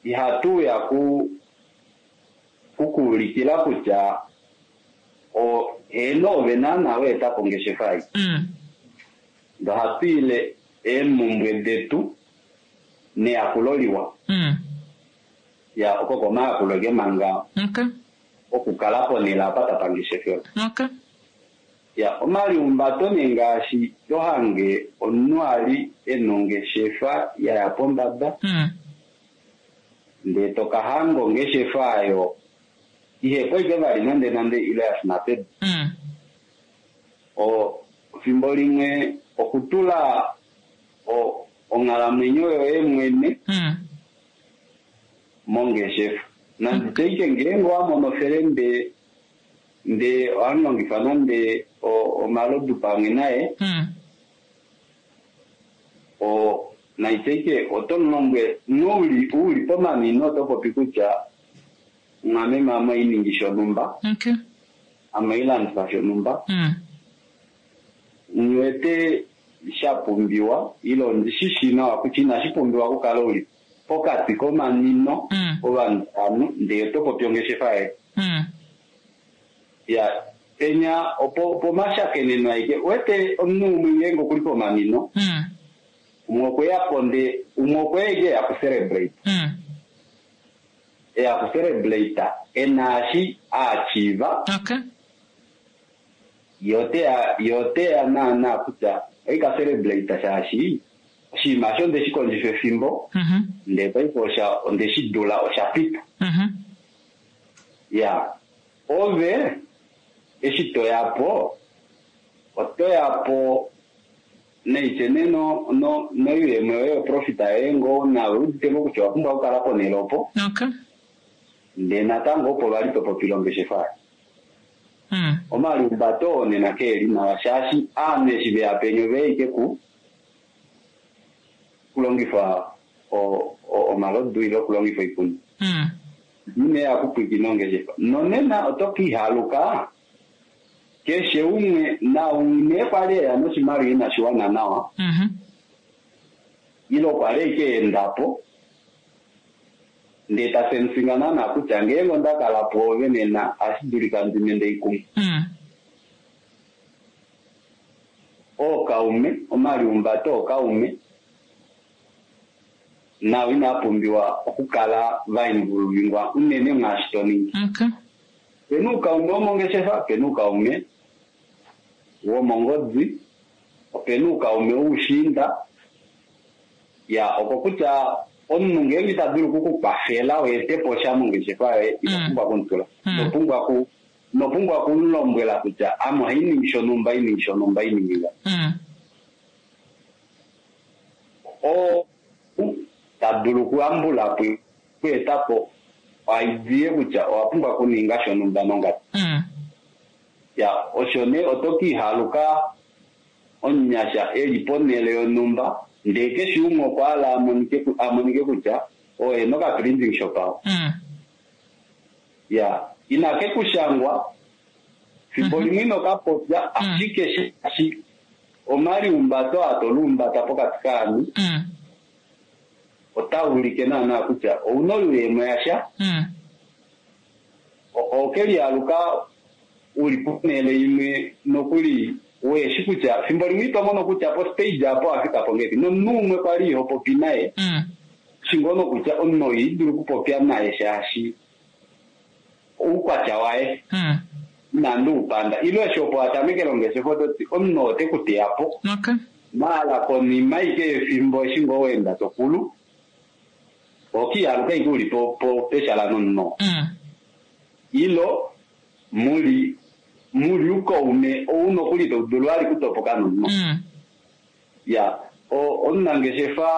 ihatu ya ku kukuulikila kutya o heeno ove naana weeta po ongeshefa ei Mm. ndo ohatu ile eemhumbwe detu neyakulo liwa Mm. ya oko komayakulo ke manga okay okukala ponhele apa tapangeshefelo okay Ya, omaliumbato nee ngaashi to hange omunhu ali e na ongeshefa ya ya pombada Mm. ndee to ka hanga ongeshefa ayo ihepo ike vali nande nande ile ya shuna pedu. Mm. O fimbo limwe okutula o- onghalamwenyo yoye mwene Mm. mongeshefa. Nande teike ngeenge owa mono felembe ndee ohamulongifa nande o- omalodu pamwe naye Mm. o naiteike oto mulombwele nouli uli pomanino oto popi kutya mwameme ame oiningi shonhumba Okay. ame oilandifa shonhumba Mm. niwete sha pumbiwa ile ondishi shi nawa kutya inashi pumbiwa okukala uli pokati komanino Mm. ovanhu vanu ndee oto popi ongeshefa yoye Mm. ya penya opo pomashakeneno aike wete omunhu umwe ngeenge okuli pomanino Mm. umwe okweyapo ndee umwe okweya ike eya kucelebrate Mm. eya kucelebrate ena eshi aachiva Okay. ye oteya ye oteya naana kutya oika celebrate shaashi oshinima osho onde shi kondjifa efimbo Mhm. ndee paife osha onde shi dula osha pita Mhm. ya ove eshi toyapo otoyapo neitye nee no no noyuuyemo yoye yoprofita yoye ngoo nawe udite ngoo kutya owa pumbwa okukala ponhele opo Okay. ndee natango opo vali topopile ongeshefa yaye Mm. omaliumbato oo nena keeli nawa shaashi aanhu eshi veya penya oveya ike ku kulongifa o- o- omalodu ile okulongifa oikunwa Mm. ine yakupwikina ongeshefa nonena oto kiihaluka keshe umwe naumwe kwali eya noshimaliwa inashi wana nawa Mhm. ile okwa li ike endapo ndee ta sensinga naana kutya ngeenge onda kala pwoove nena ohashi dulika ndime ndeikumwe Mm. ookaume omaliumbato ookaume nao inaa pumbiwa okukala vainvolvingwa unene mwaashi to ningi Okay. pena uukaume womongeshefa pena uukaume womongodi opena uukaume woushiinda ya oko kutya omunhu ngeenge ita dulu okukukwafela weetepo sha mongeshefa yoye ino Mm. pumbwa okumutula Mm. ino pumbwa ku ino pumbwa okumulombwela kutya ame ohainingi shonhumba iningi shonhumba iningi nga Mm. oo ta dulu okuyambula po okweetapo oidea kutya owa pumbwa okuninga shonhumba nongadi Mm. ya osho nee oto kiihaluka omunyasha eli ponhele yonhumba ndee keshe umwe okwa hala amonike ku- amonike kutya oye noka printing shop awo Mm. ya ina ke kushangwa fimbo limwe ino ka popya ashike shaashi omaliumbato aa toluumbata pokati kaanhu Mm. ota ulike naana kutya ouna oyuuyemo yasha Mm. o- okelihaluka uli ponhele imwe nokuli weshi kutya fimbo limwe ito mono kutya po stage apo wafika po ngahelipi nomunhu umwe kwali iho popi naye Mm. shingono kutya omunhu ou idulu okupopya naye shaashi oukwatya waye Mm. inandi upanda ile eshi opo atamekele ongeshefa ototi omunhu ote ku teya po Okay. maala konima ike yefimbo eshi ngoo weenda tokulu okiihaluka ike uli po po peshala nomunhu oo. Mm. ilo muli muli ukaume ou nokuli to dulu vali kutopoka nomunhu Mm. ya o- omunangeshefa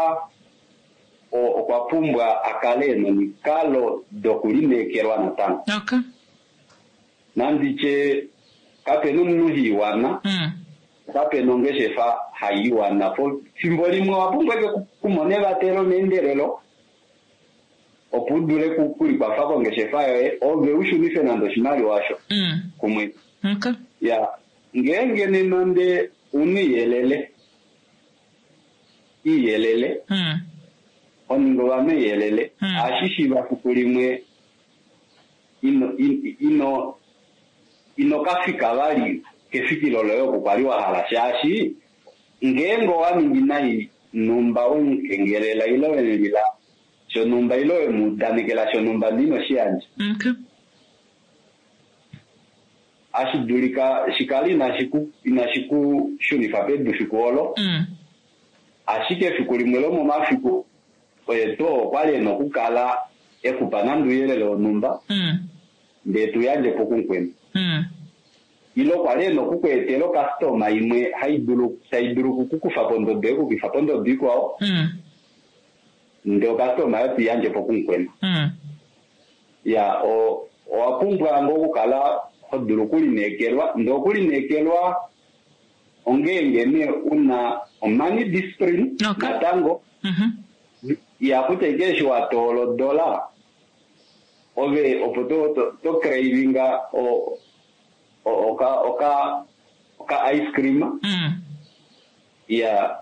o- okwa pumbwa a kale e nomikalo dokulineekelwa natango Okay. nanditye kapena omunhu hiiwana Mm. kapena ongeshefa haiwana po fimbo limwe owa pumbwa ike kumona evatelo meendelelo opo u dule ku- kulikwafa kongeshefa yoye ove u shunife nande oshimaliwa osho Mm. kumwe Okay. ya ngeenge nena nde una iyelele iyelele Mm. oninga ovanhu iyelele Mm. ohashi shiiva fiku limwe ino in- ino ino ka fika vali kefikilo loye oku kwali wa hala shaashi ngeenge owa ningi nai numba wemukengelela ile wemulila shonumba ile wemuudanekela shonumba ndee ino shi yandja Okay. Ashi dulika shikale inashi ku inashi ku shunifa pedu fiku olo. Mm. Ashike efiku limwe lomomafiku oye to okwali ena okukala ekupa nande ouyelele wonhumba Mm. ndee tuyandje po kumukweni. Mm. Ile okwa li ena okukweetela okastoma imwe hai dulu tai dulu okukukufa pondodo ekukufa pondodo ikwao Mm. ndee okastoma oyo tuyandje po kumukweni. Mm. Ya o owa pumbwa ngoo okukala ho dulu okulineekelwa ndee okulineekelwa ongeenge nee una omoney discipline Okay. natango Mhm. ya kutya ike eshi wa toola odola ove opo to to, to cravinga o, o, oka oka oka ice cream Mm. ya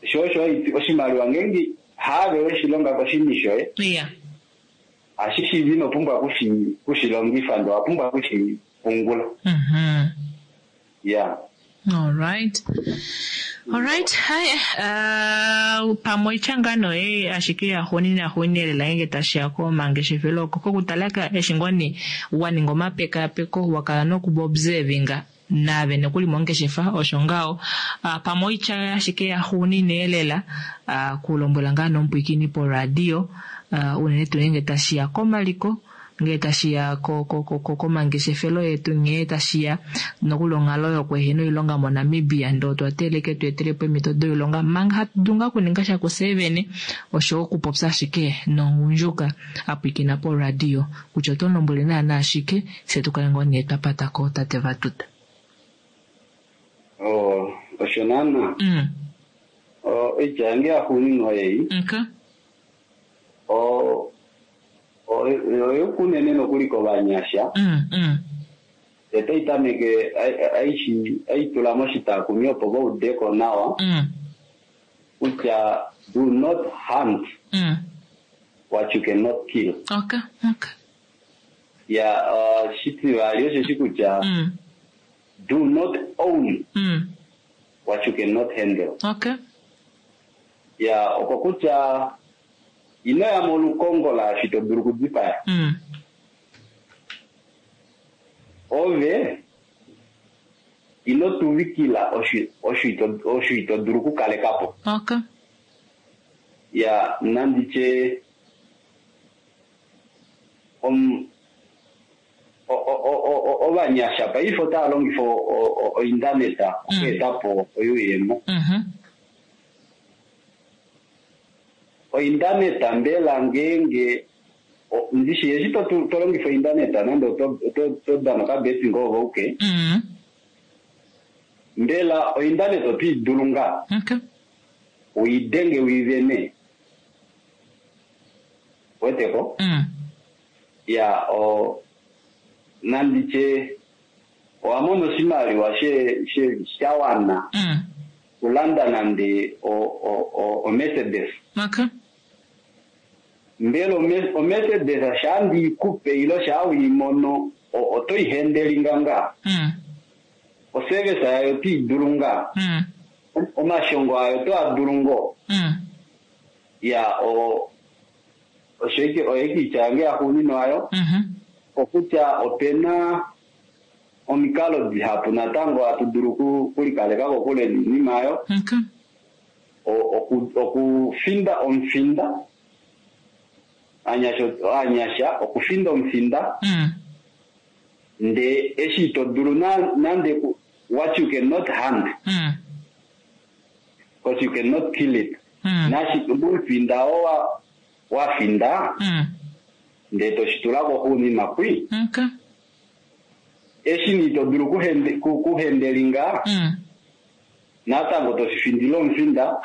sho osho haiti oshimaliwa ngeenge haave weshilonga koshini shoye Yeah. ashishivi inopumbwa kushi kushilongifa ndee owa pumbwa kushipungula Mhm. ya All right. All right. Hi. Uh, pamwe oityangano ye ashike yaxuuninwa yaxuuninwa lela ngenge tashiya komangeshefelo oko kokutala eshi ngoo nee waninga omapekapeko wakala nokuobservinga naave nokuli mongeshefa osho ngaho uh, pamwe oitya ashike yaxuuninwa lela uh, kulombwela ngaa nomupwiikini poradio uh, unene tuu ngenge tashiya komaliko ngee tashiya komangeshefelo yetu nghee tashiya nokuli onghalo yokuehena oilonga moNamibia ndee otwa teeleke tweetelepo eemhito doilonga manga hatu dulu ngaa okuninga sha kufye vene oshowo okupopya ashike nomugundjuka apwiikina poradio kutya oto mulombwele naana shike fye tukale ngoo nee twapatako tate Vatuta. Oh, osho naana Mm. oitya yange yaxuuninwa oyeyi Okay. o oyokunene nokuli kovanyasha Mm, mm. otai tameke aishi aitula moshitakumi opo vaudeko nawa Mm. kutya do not hunt Mm. what you cannot kill. Okay, okay. Ya uh, shitivali osheshi kutya Mm. do not own Mm. what you cannot handle. Okay. Ya oko kutya inoya molukongo laashi to dulu okudipaya. Mm. Ove ino tuvikila osho osho ito osho ito dulu okukalekapo. Okay. Ya nanditye om o- o- o- o- ovanyasha paife otava longifa o- o- ointaneta okweetapo oyuuyemo. Mhm. Ointaneta mbela ngeenge o- ndishi eshi to to longifa ointaneta nande oto oto to dana okabetting ove auke Mm. mbela ointaneta oto i dulu ngaa Okay. uidenge uivene weteko Mm. ya o nanditye owa mona oshimaliwa she she shawana Mm. kulanda nande o o o, o Mercedes Okay. mbela o o Mercedes shandi ikupe ilo shawimono oto ihendelinga ngaa Mm. oservice yayo oto idulu ngaa Mm. omashongo ayo oto adulu ngoo Mm. ya o osho ike oyo ike yange yaxuuninwa ayo Mhm. okutya opena omikalo dihapu natango hatu dulu oku- okulikaleka kokule niinima ayo Okay. O- oku- okufinda omufinda anyasha anyasha okufinda omufinda Mm. ndee eshi ito dulu na- nande ku- what you cannot hunt Mm. because you cannot kill it Mm. nashi omufinda oo wa- wafinda Mm. ndee toshitulako xuuninwa kwi Okay. eshi ni ito dulu kuhende- ku- kuhendelinga Mm. natango toshifindile omufinda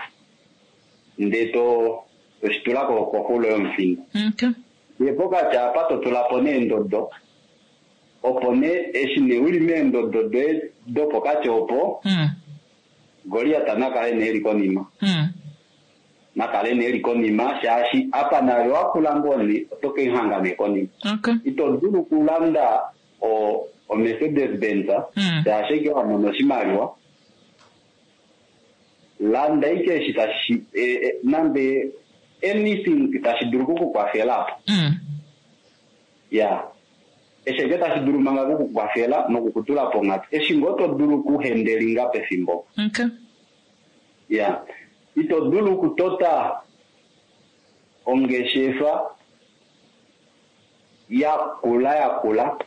ndee to toshitulako koxulo yomufinda Okay. ndee pokati apa totulapo neendodo opo nee eshi nee uli meendodo doye dopokati opo Mm. Goliat nakale nee eli konima Mm. nakale nee eli konima shaashi apa naave wakula ngoo nee oto keihanga nee konima Okay. ito dulu okulanda o o Mercedes Benz Mm. shaashi ike wamona oshimaliwa landa ike eshi tashi e, e, nande anything tashi dulu okukukwafela apo Mm. ya Eshi eke tashi dulu manga okukukwafela nokukutula ponghatu eshi ngoo to dulu okuhendelinga pefimbo. Okay. Ya, ito dulu okutota ongeshefa yakula yakula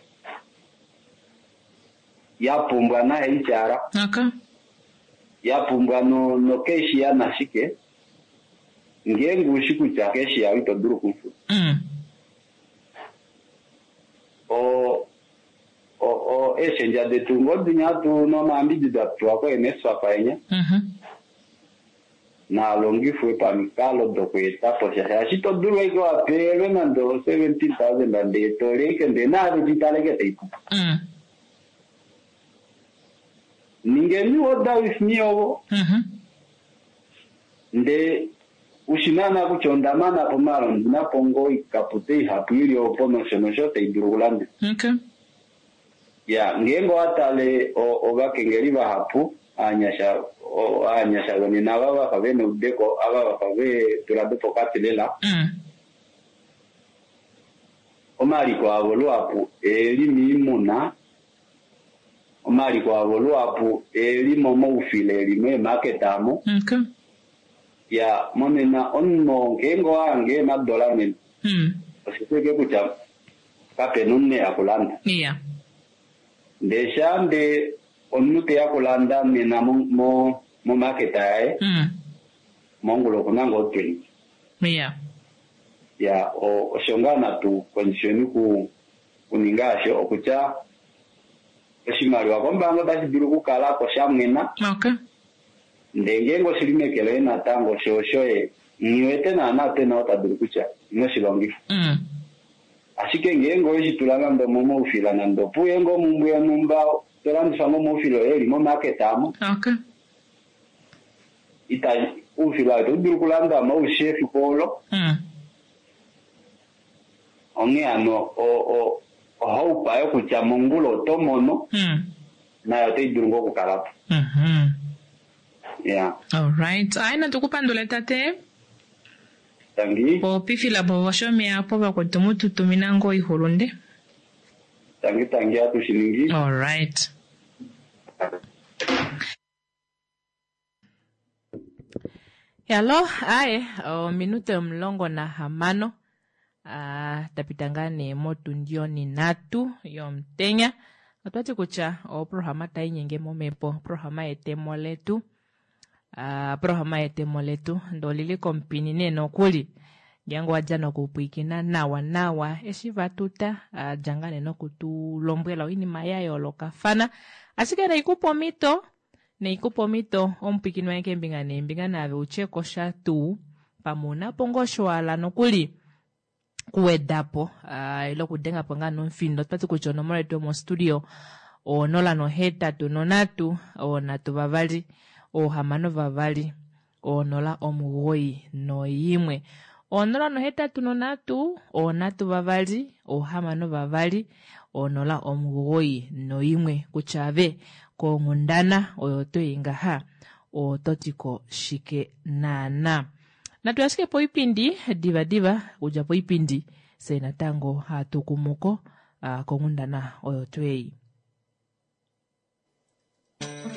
ya pumbwa na H R, Okay. ya pumbwa no no cashier nashike, ngeenge ushi kutya cashier ito dulu okumufuta. Mm. O o o eeshendja detu ngoo dinya tu nomayambidido atuwa ko N S F A enya Mhm. naalongifwe pamikalo dokweeta po sha, shaashi ito dulu ashike wapelwe nande o seventeen thousand ndee toleke ndee naave titaleke taipupa. Mm. Ningeni order with me ovo, Mhm. ndee ushi naana kutya onda mana po maala ondina po ngoo ikapute ihapu ili opo nosho nosho tai dulu okulanda. Okay. Ya, ngeenge owatale ovakengeli vahapu aanyasha aanyasha vonena ava vafa vena oudeko ava vafa veedula dopokati lela, Mm. omaliko avo luhapu eeli miimuna, omaliko avo luhapu eeli momaufila eli meemaketa amo. Okay. Ya, monena omunhu ngeenge owahange eenadola nena, Mm. oshiwete kutya kapena omunhu eya kulanda. Yeah. Ndee shaa ndee omunhu teya kulanda nena mo momaketa yaye, Mm. mongula okuna ngoo twenty. Yeah. Ya, osho ngaa natu kondjifeni kuninga asho okutya oshimaliwa kombaanga otashi dulu okukala ko shamwena. Okay. Ndee ngeenge oshili meke loye natango sho oshoye nghiwete naana pena oo ta dulu kutya inoshi longifa. Mm. Ashike ngeenge oweshi tula nande omomaufila nande opuye ngoo omumbwe yonhumba to landifa ngoo omaufila oye eli momaketa amo. Okay. Ita oufila ito dulu okulanda aushe efiku olo. Mm. Onghee hano ohaupa yokutya mongula oto mono, Mm. nayo otai dulu ngoo okukala po. Mhm. Ya. Alright. Ayi, natukupandule tate. Tangi. Popifila po voshomeya po vakwetu mututumina ngoo oihulunde. Tangi tangi, atushi ningi. Alright. Hello, aye, ominute omulongo nahamano ah, tapita ngaa nee motundi onhinhatu yomutenya. Otwati kutya oprograma tainyenge momhepo, oprograma yetemo letu, ah, oprograma yetemo letu ndee olili komupini nee nokuli ngeenge owadja nokupwiikina nawa nawa eshi vatuta dja ngaa nee nokutulombwela oinima ya yoolokafana, ashike naikupa omhito naikupa omhito omupwiikini wange keembinga neembinga naave utyeko sha tuu pamwe unapo ngoo osho wahala nokuli kuwedapo uh, ile okudengapo ngaa nomufindo. Otwati kutya onomola yetu yomostudio onola nohetatu nonhatu onhatu vavali ohamano vavali onola omugoyi noimwe, onola nohetatu nonhatu onhatu vavali ohamano vavali onola omugoyi noimwe, kutya ave konghundana oyo toyi ngaha ototiko shike naana. Natu ashike poipindi diva diva, kudja poipindi se natango hatu kumuko uh, konghundana oyo tweyi.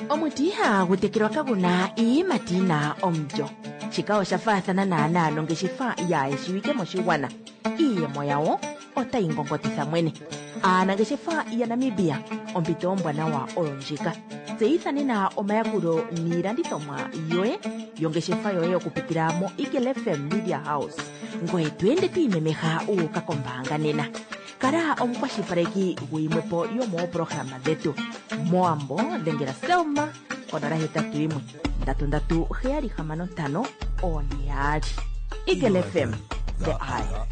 Omuti ihagu tekelwa kaguna iiyimati yina omulyo. Shika osha faathana naanaa nongeshefa yaayeshiwike moshigwana. Iiyemo yawo otayi ngongotitha mwene. Aanangeshefa yaNamibia, ompito ombwanawa oyo ndjika. Tseyitha nena omayakulo niilandithomwa yoye yongeshefa yoye okupitila mo Eagle F M Media House. Ngoye to ende to imemeha uuka kombaanga nena. Kala omukwashilipaleki guyimwepo yomooprograma dhetu. Moambo dhengela Selma konola hetatu yimwe ndatu ndatu heyali hamano ntano one yaali. Eagle F M, the eye.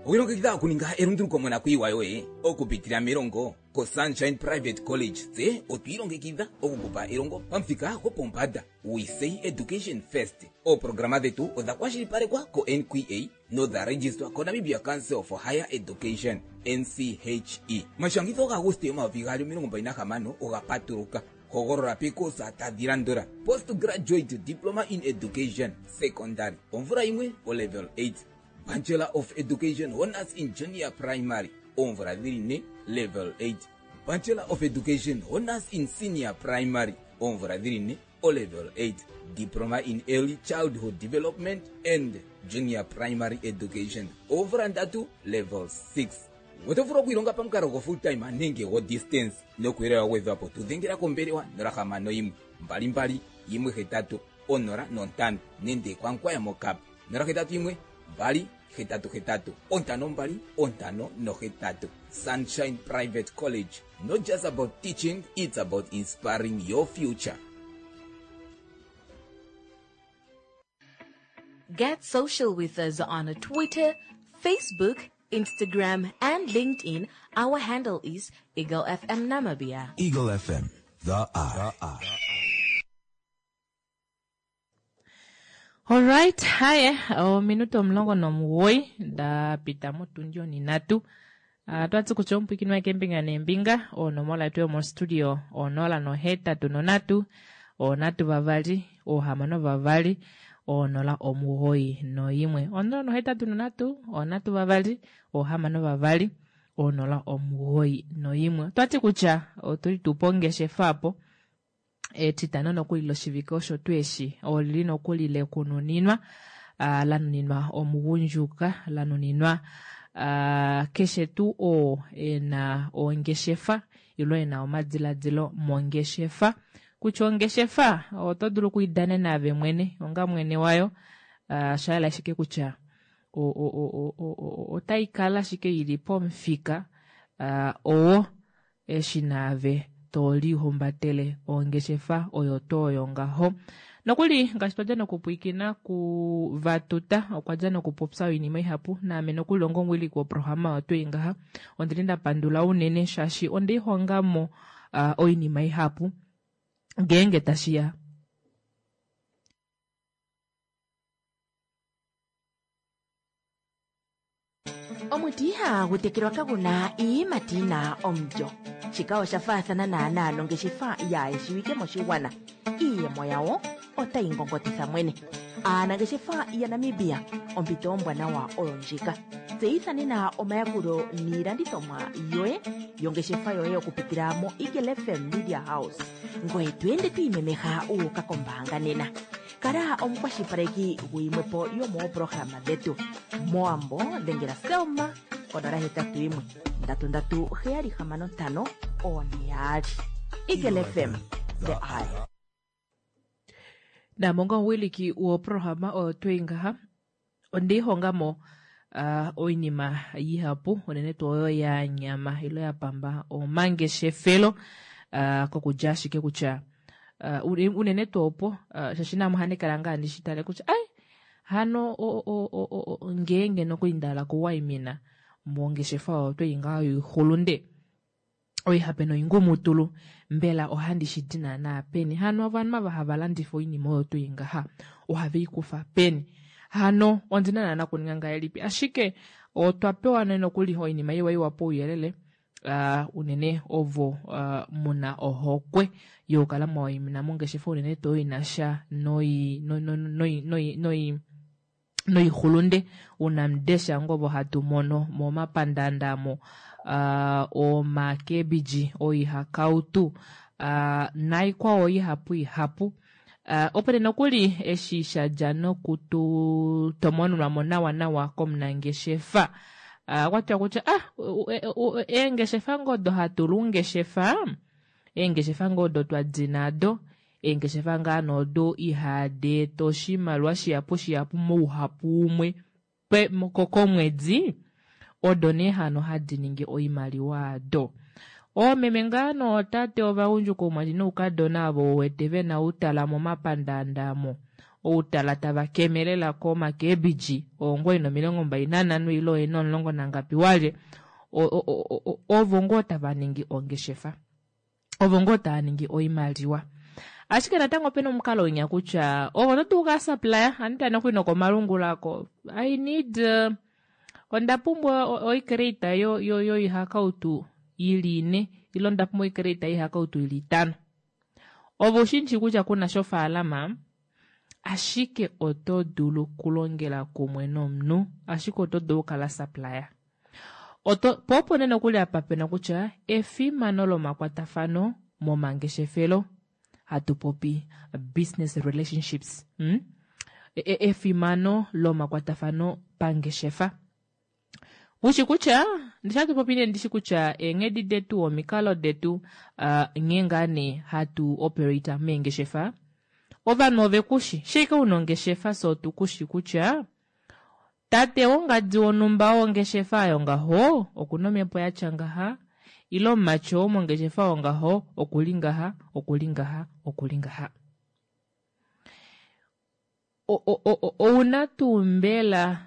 Owilongekidha okuninga elunduluko monakuyiwa yoye okupitila melongo koSunshine Private College. Tse otwiilongekidha okukupa elongo pamuthika gopombanda. We say education first. Ooprograma dhetu odha kwashilipalekwa ko N Q A nodha registwa koNamibia Council for Higher Education, N C H E. Omashangitho gaAguste omayovi gaali omilongo mbali nahamano oga patuluka. Hogolola pekosa tadhi landula: postgraduate diploma in education secondary omvula yimwe o level eight. Bachelor of Education Honors in Junior Primary oomvula dhili ne level eight. Bachelor of Education Honors in Senior Primary oomvula dhili ne o level eight. Diploma in Early Childhood Development and Junior Primary Education oomvula ndatu level six. Oto vulu okwiilonga pamukalo go full time nenge go distance nokuyelela gwedhwa po tudhengela kombelewa nola hamano yimwe mbali mbali yimwe hetatu onola nontano nenge kwankwaya mokapa nola hetatu yimwe mbali hetatu hetatu ontano mbali ontano nohetatu. Sunshine Private College, not just about teaching, it's about inspiring your future. Get social with us on Twitter, Facebook, Instagram, and LinkedIn. Our handle is Eagle F M Namibia. Eagle F M, the Eye. The Eye. Alright, haye ominute omulongo nomugoyi da pita motundi oninatu. Uh, twatsi kutya omupwikini wake embinga nembinga onomola yetu yomostudio onola nohetatu nonatu onatu vavali ohamano vavali onola omugoyi noyimwe onola nohetatu nonatu onatu vavali ohamano vavali onola omugoyi noyimwe. Twati kutya otuli tupo ongeshefa apo etitano nokuli loshivike osho tu eshi olili nokuli lekununinwa uh, lanuninwa omugundjuka lanuninwa uh, keshe tuu oo ena ongeshefa ilo ena omadiladilo mongeshefa kutya ongeshefa oto dulu okuidanena ave mwene onga mwene wayo uh, shayela ashike kutya otai kala ashike ili pomufika uh, owo eshi naave to lihumbatele ongeshefa oyo tooyo ngaho. Nokuli ngaashi twadja nokupwiikina kuvatuta okwa dja nokupopya oinima ihapu naame nokuli onga omuwiliki woprograma oyo twii ngaha ondili nda pandula unene shaashi ondeihongamo uh, oinima ihapu ngeenge tashiya. Omuti ihagu tekelwa kaguna iiyimati yina omulyo. Shika osha faathana naanaa nongeshefa yaayeshiwike moshigwana. Iiyemo yawo otayi ngongotitha mwene. Aanangeshefa yaNamibia, ompito ombwanawa oyo ndjika. Tseyitha nena omayakulo niilandithomwa yoye yongeshefa yoye okupitila mo Eagle F M Media House. Ngoye to ende to imemeha wu uka kombaanga nena. Kala omukwashilipaleki guyimwe po yomoopolohalama dhetu. Mowambo dhengela Selma konola hetatu yimwe ndatu ndatu heyali hamano ntano one yaali. Eagle F M, the Eye. Namonga omuwiliki woprograma oyo twii ngaha ondiihongamo uh, oinima ihapu unene tuu oyo ya nyama ilo ya pamba omangeshefelo uh, kokudja ashike kutya uh, unene tuu opo uh, shaashi naame ohandi kala ngaa ndi shi tale kutya ai hano o, o, o, o, ngeenge nokuli ndahala okuwaimina mongeshefa oyo twii ngaha yoixulunde oihape noingumutulu mbela ohandi shi di naanaa peni hano ovanhu ava hava landifa oinima oyo twii ngaha ohave i kufa peni hano ondina naana kuninga ngahelipi ashike otwa pewa nokuli oinima iwa iwa pouyelele uh, unene ovo uh, muna ohokwe yokukala mwawaimina mongeshefa unene tuu inasha noi noi noi noi noi noixulunde unamudesha ngovo hatu mono momapandanda mo uh, omakebiji oihakautu uh, naikwao ihapu ihapu uh, opo nokuli eshi shadja nokututomonunwa mo nawa nawa komunangeshefa uh, okwatiwa kutya ah eengeshefa ngodo hatu lungeshefa eengeshefa ngodo twadi nado eengeshefa ngaa nodo ihadi eta oshimaliwa shihapu shihapu mouhapu umwe komwedi odo nee hano hadi ningi oimaliwa ado. Oomeme ngaa nootate ovagundjuka oumati noukadona avo wete vena outala momapandanda mo outala tava kemelela komakebiji oongoyi nomilongo mbali nanhano ile oyena omulongo nangapi walye ovo ngoo tava ningi ongeshefa ovo ngoo tava ningi oimaliwa. Ashike natango opena omukalo winya kutya ovo oto dulu okukala supplier andiya nokuli nokomalungula ako I need uh, onda pumbwa oicrate yoihakautu ili ine ile onda pumbwa oicrate yoihakautu ili itano. Ovo ushinshi kutya kuna shofaalama Ashike oto dulu kulongela kumwe nomunhu, ashike oto dulu okukala supplier. Oto, po opo nee nokuli apa pena kutya efimano lomakwatafano momangeshefelo, hatu popi business relationships. Hmm? E, efimano lomakwatafano pangeshefa. Ushi kutya, ndishi hatu popi nee ndishi kutya eenghedi detu, omikalo detu, uh, nghee ngaa nee hatu operate meengeshefa, ovanhu ove kushi, shike una ongeshefa so tu kushi kutya tate wongadi wonhumba wongeshefa oyo ngaho okuna omhepo yatya ngaha, ile omumati oo mongeshefa oyo ngaho okuli ngaha, okuli ngaha, okuli ngaha. Ouna tuu mbela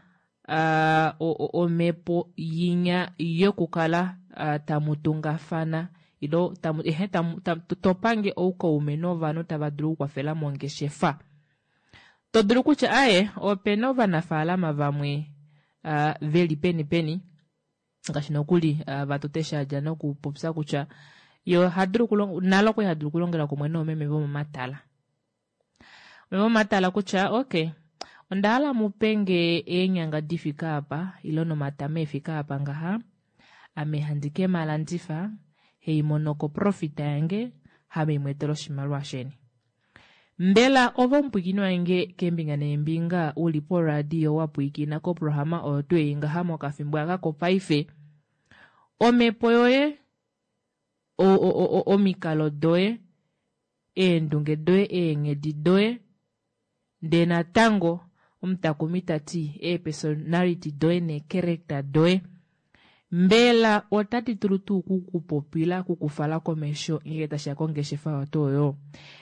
omhepo yinya yokukala tamu tungafana ilo tamu, ehe, tamu, tamu, topange oukaume novanhu tava dulu okukwafela mongeshefa. To dulu kutya aye opena ovanafaalama vamwe veli peni peni ngaashi nokuli vatote shadja nokupopya kutya yo hadulu kulong-, nalo okwali hadulu kulongela kumwe noomeme vomomatala. Meme vomomatala kutya okay, onda hala mu penge eenyanga difika apa ilo nomatama efika apa ngaha, ame handi ke malandifa, hei mono ko profit yange, hame imwetele oshimaliwa sheni. Mbela ove omupwiikini wange keembinga neembinga uli poradio wa pwiikina koprograma oyo tu ei ngaha mokafimbo aka kopaife, omhepo yoye, o-, o-, o-, o-, omikalo doye, eendunge doye, eenghedi doye, ndee natango omutakumi ta ti eepersonality doye neecharacter doye, mbela otadi dulu tuu kukupopila, kukufala komesho ngenge tashiya kongeshefa yoto oyo?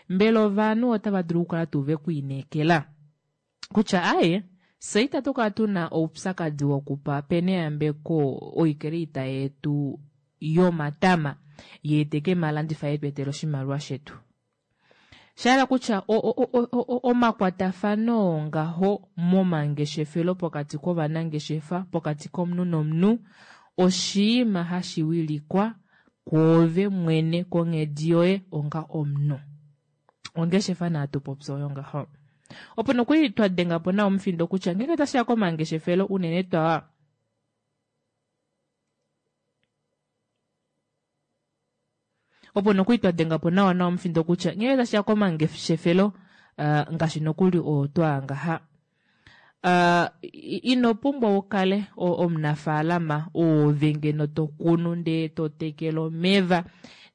Mbela ovanhu otava dulu okukala tuu ve kwiinekela kutya aye fye itatu kala tuna oupyakadi wokupa peneyambeko oikeleita yetu yomatama yeeteke malandifa yetu etele oshimaliwa shetu. Shahala kutya o-, o-, o-, o-, o-, omakwatafano ngaho momangeshefelo pokati kovanangeshefa, pokati komunhu nomunhu, oshiima hashi wilikwa kwoove mwene konghedi yoye onga omunhu. Ongeshefa naatu popya oyo ngaho. Opo nokuli twa denga po nawa omufindo kutya ngenge tashiya komangeshefelo unene twa opo nokuli twa denga po nawa nawa omufindo kutya ngenge tashiya komangeshefelo, eh, ngaashi nokuli oo twa ngaha. Eh, ino pumbwa ukale o-, omunafaalama oove ngeno to kunu ndee to tekele omeva,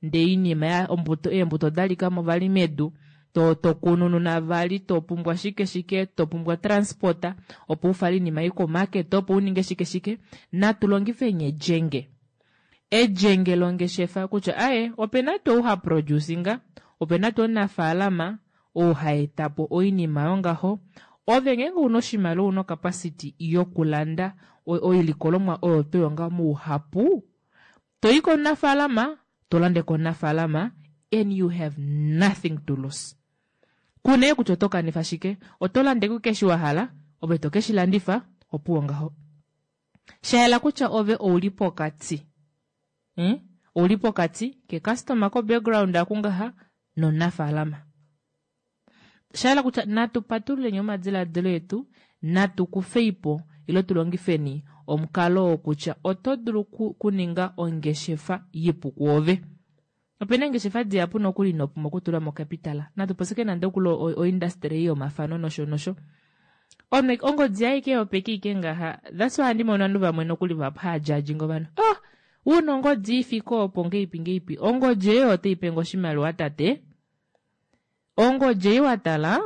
ndee inima ya ombuto, eembuto da lika mo vali medu, to, to kunununa vali, to pumbwa shike shike, to pumbwa transporta opo ufale inima i komarket, opo uninge shike shike. Natu longife ejenge. Ejenge longeshefa kutya aye opena tuu ha producinga, opena tuu omunafaalama oo ha eta po oinima yongaho. Ove ngenge una oshimaliwa, una capacity yokulanda o-, oilikolomwa oyo to yonga mouhapu, to i komunafaalama, to lande komunafaalama, and you have nothing to lose. Kuna kutya oto kanifa shike, oto lande ku keshi wa hala, ove to keshi landifa, opuwo ngaho. Shayela kutya ove ouli pokati. Hmm? Ouli pokati ke customer ko background akungaha nomunafaalama. Shayela kutya natu patululeni omadiladilo etu, natu kufeipo ilo tulongifeni omukalo wokutya oto dulu ku-, kuninga ongeshefa ipu kuove. Opena ongeshefa dihapu nokuli ino pumbwa okutula mo capital. Natu posike nande okulo o-, o industry yomafano nosho nosho. Ome, ongodi yaye ke yopeke ike ngaha. That's why ndimono ovanhu vamwe nokuli vahapu hava judge ngovanhu. Oh, una ongodi ifike opo ngeipi ngeipi. Ongodi eyo otai pe ngo oshimaliwa tate. Ongodi ei wa tala,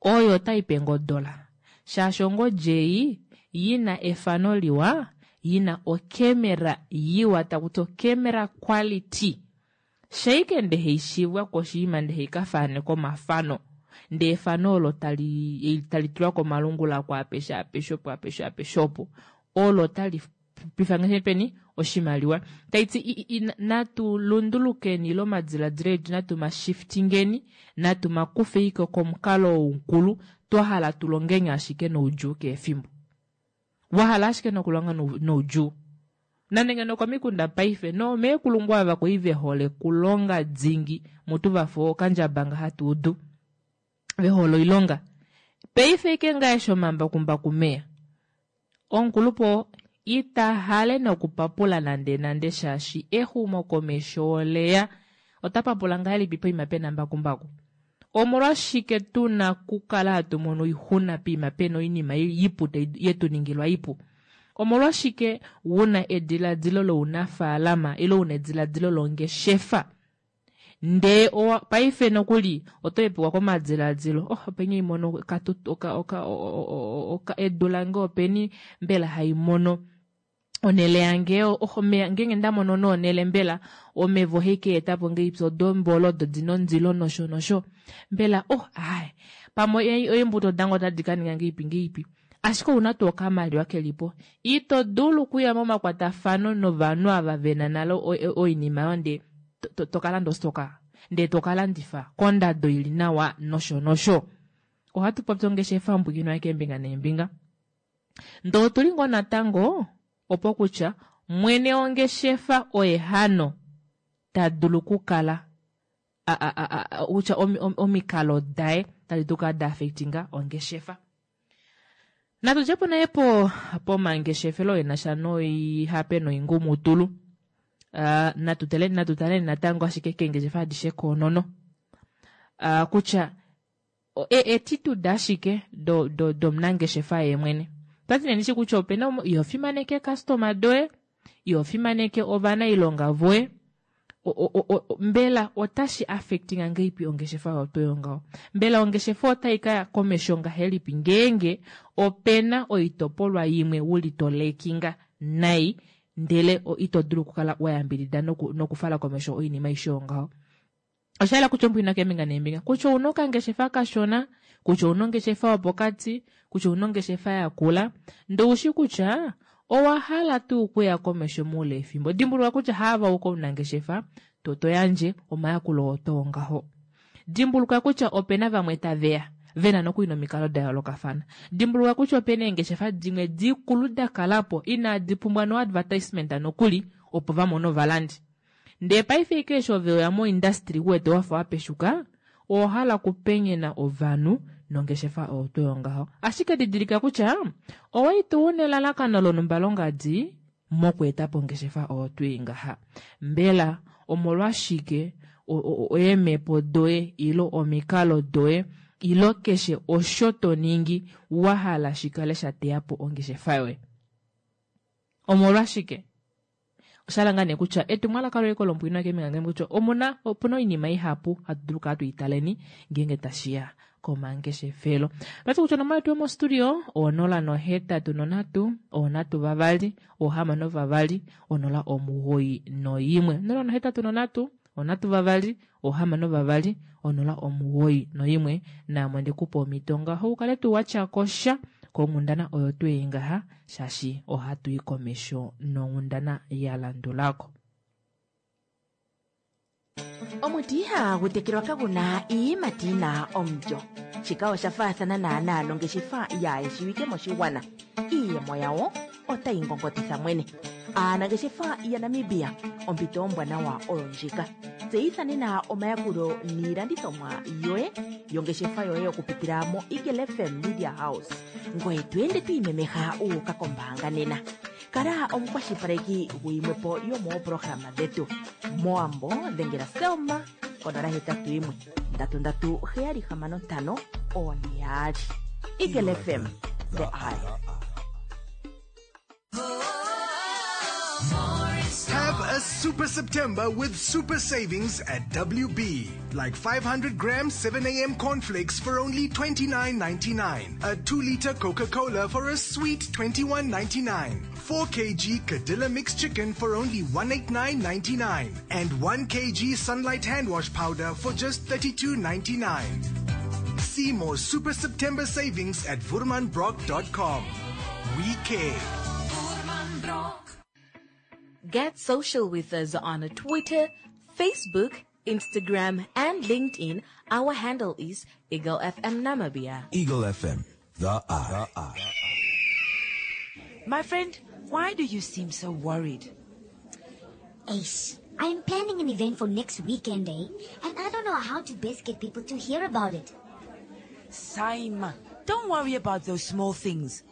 oyo otai pe ngo dola. Shaashi ongodi ei yina efano liwa, yina okemera yiwa, taku ti okemera quality. Shaike nde heishivwa koshiima nde heikafaneka omafano. Nde efano olo tali, tali tulwa komalungula kwa apeshe, apeshe opo, apeshe, apeshe opo. Olo tali pifa ngeshe peni oshimaliwa. Taiti i, i, i, natu lundulukeni lo madiladilo etu, natu mashiftingeni, natu makufeiko komukalo woukulu, twa hala tulongeni ashike noudjuu keefimbo. Wa hala ashike nokulonga nou-, noudjuu. Nande ngeno komikunda paife, no meekulungu ava koi ve hole kulonga dingi, mutu va fo okandjabanga hatu udu. Vehole oilonga. Paife ike ngaa eshi omambakumbaku meya, omukulupe ita hale nokupapula nande nande shaashi exumokomesho oleya. Ota papula ngahelipi poima pena mbakumbaku? Omolwashike tuna okukala hatu mono oixuna poima pena oinima ipu yetuningilwa ipu? Omolwashike wuna ediladilo lounafaalama ile una ediladilo longeshefa ndee owa paife nokuli oto hepekwa komadiladilo, oh openi haimono edu lange, openi mbela haimono onhele yange, oh omeya ngeenge ndamono nee onhele mbela omeva ohaika etapo ngahelipi, odo eembola odo dina ondilo nosho nosho, mbela oh aaye pamwe eembuto dange otadi kaninga ngahelipi ngahelipi, ashike ouna tuu okamaliwa kelipo, ito dulu okuya momakwatafano novanhu ava vena nale oinima oyo ndee tokalanda ostoka ndee tokalandifa kondado ili nawa nosho nosho. Ohatu popi ongeshefa ombwikinwa keembinga neembinga, ndee otuli ngoo natango opo kutya mwene wongeshefa oye hano tadulu okukala kutya omikalo daye tadi dulu okukala da affectinga ongeshefa. Natu djepo naye po pomangeshefelo enasha noihape noingumutulu. Uh, natu tale natu tale natango ashike keengeshefa adishe koonono, uh, kutya e, ashike do do domunangeshefa ye mwene. Twati nee ndishi kutya opena iho fimaneke customer doye, iho fimaneke ovanailonga voye, mbela otashi affectinga ngahelipi ongeshefa yoto ngaho? Mbela ongeshefa otai kaya komesho ngahelipi ngeenge opena oitopolwa imwe uli to lekinga nai ndele ito dulu okukala wayambidida nokufala komesho oinima aishe yongaho? Osha yela kutya ombwina keembinga neembinga, kutya ouna okangeshefa kashona, kutya ouna ongeshefa yopokati, kutya ouna ongeshefa yakula, ndee oushi kutya owa hala tuu okuya komesho moule wefimbo. Dimbuluka kutya haava uka omunangeshefa to to yandje omayakulo oto ngaho. Dimbuluka kutya opena vamwe taveya vena nokuli nomikalo da yoolokafana. Dimbuluka kutya opena eengeshefa dimwe dikulu dakalapo inadi pumbwa no advertisement nokuli opo vamone ovalandi. Ndee paife ike eshi ove weya mo industry uwete wafa wapeshuka, owa hala okupenyena ovanhu nongeshefa oyo tuu yongaho. Ashike didilika kutya owali tuu una elalakano lonhumba longadi mokweetapo ongeshefa oyo tuu ngaha. Mbela omolwashike eemhepo doye ile omikalo doye ile keshe osho to ningi wa hala shikale sha teya po ongeshefa yoye? Omolwashike? Osha ngaa nee kutya etumwalaka loye kolombwino keembinga kutya omuna opuna oinima ihapu hatu dulu okukala tuitaleni ngeenge tashiya komangeshefelo. Vati kutya onomola yetu yomostudio onola nohetatu nonhatu onhatu vavali ohamano vavali onola omugoyi noimwe, onola nohetatu nonhatu onhatu vavali ohamano vavali onola omugoyi noimwe. Naamwe ndikupa omhito ngaho ukale tuu watyakosha konghundana oyo tuu ei ngaha, shaashi ohatu i komesho nonghundana ya landulako. Omuti ihagu tekelwa kaguna iiyimati yina omulyo. Shika osha faathana naanaa nongeshefa yaayeshiwike moshigwana. Iiyemo yawo otayi ngongotitha mwene. Aanangeshefa yaNamibia, ompito ombwanawa oyo ndjika. Tseyitha nena omayakulo niilandithomwa yoye yongeshefa yoye okupitila mo Eagle F M Media House. Ngoye to ende to imemeha uuka kombaanga nena. Kala omukwashilipaleki guyimwe po yomoopolohalama dhetu. Mowambo dhengela Selma konola hetatu yimwe ndatu ndatu heyali hamano ntano one yaali. Eagle F M, the eye. Have a super September with super savings at W B. Like five hundred grams seven a m cornflakes for only twenty-nine ninety-nine. A two liter Coca-Cola for a sweet twenty-one ninety-nine. four kilograms Cadilla mixed chicken for only one eighty-nine ninety-nine. And one kilogram Sunlight hand wash powder for just thirty-two ninety-nine. See more Super September savings at voermanbrock dot com. We care. Get social with us on Twitter, Facebook, Instagram, and LinkedIn. Our handle is Eagle F M Namibia. Eagle F M, the eye. The eye. My friend, why do you seem so worried? Ace, I'm planning an event for next weekend, eh? And I don't know how to best get people to hear about it. Saima, don't worry about those small things.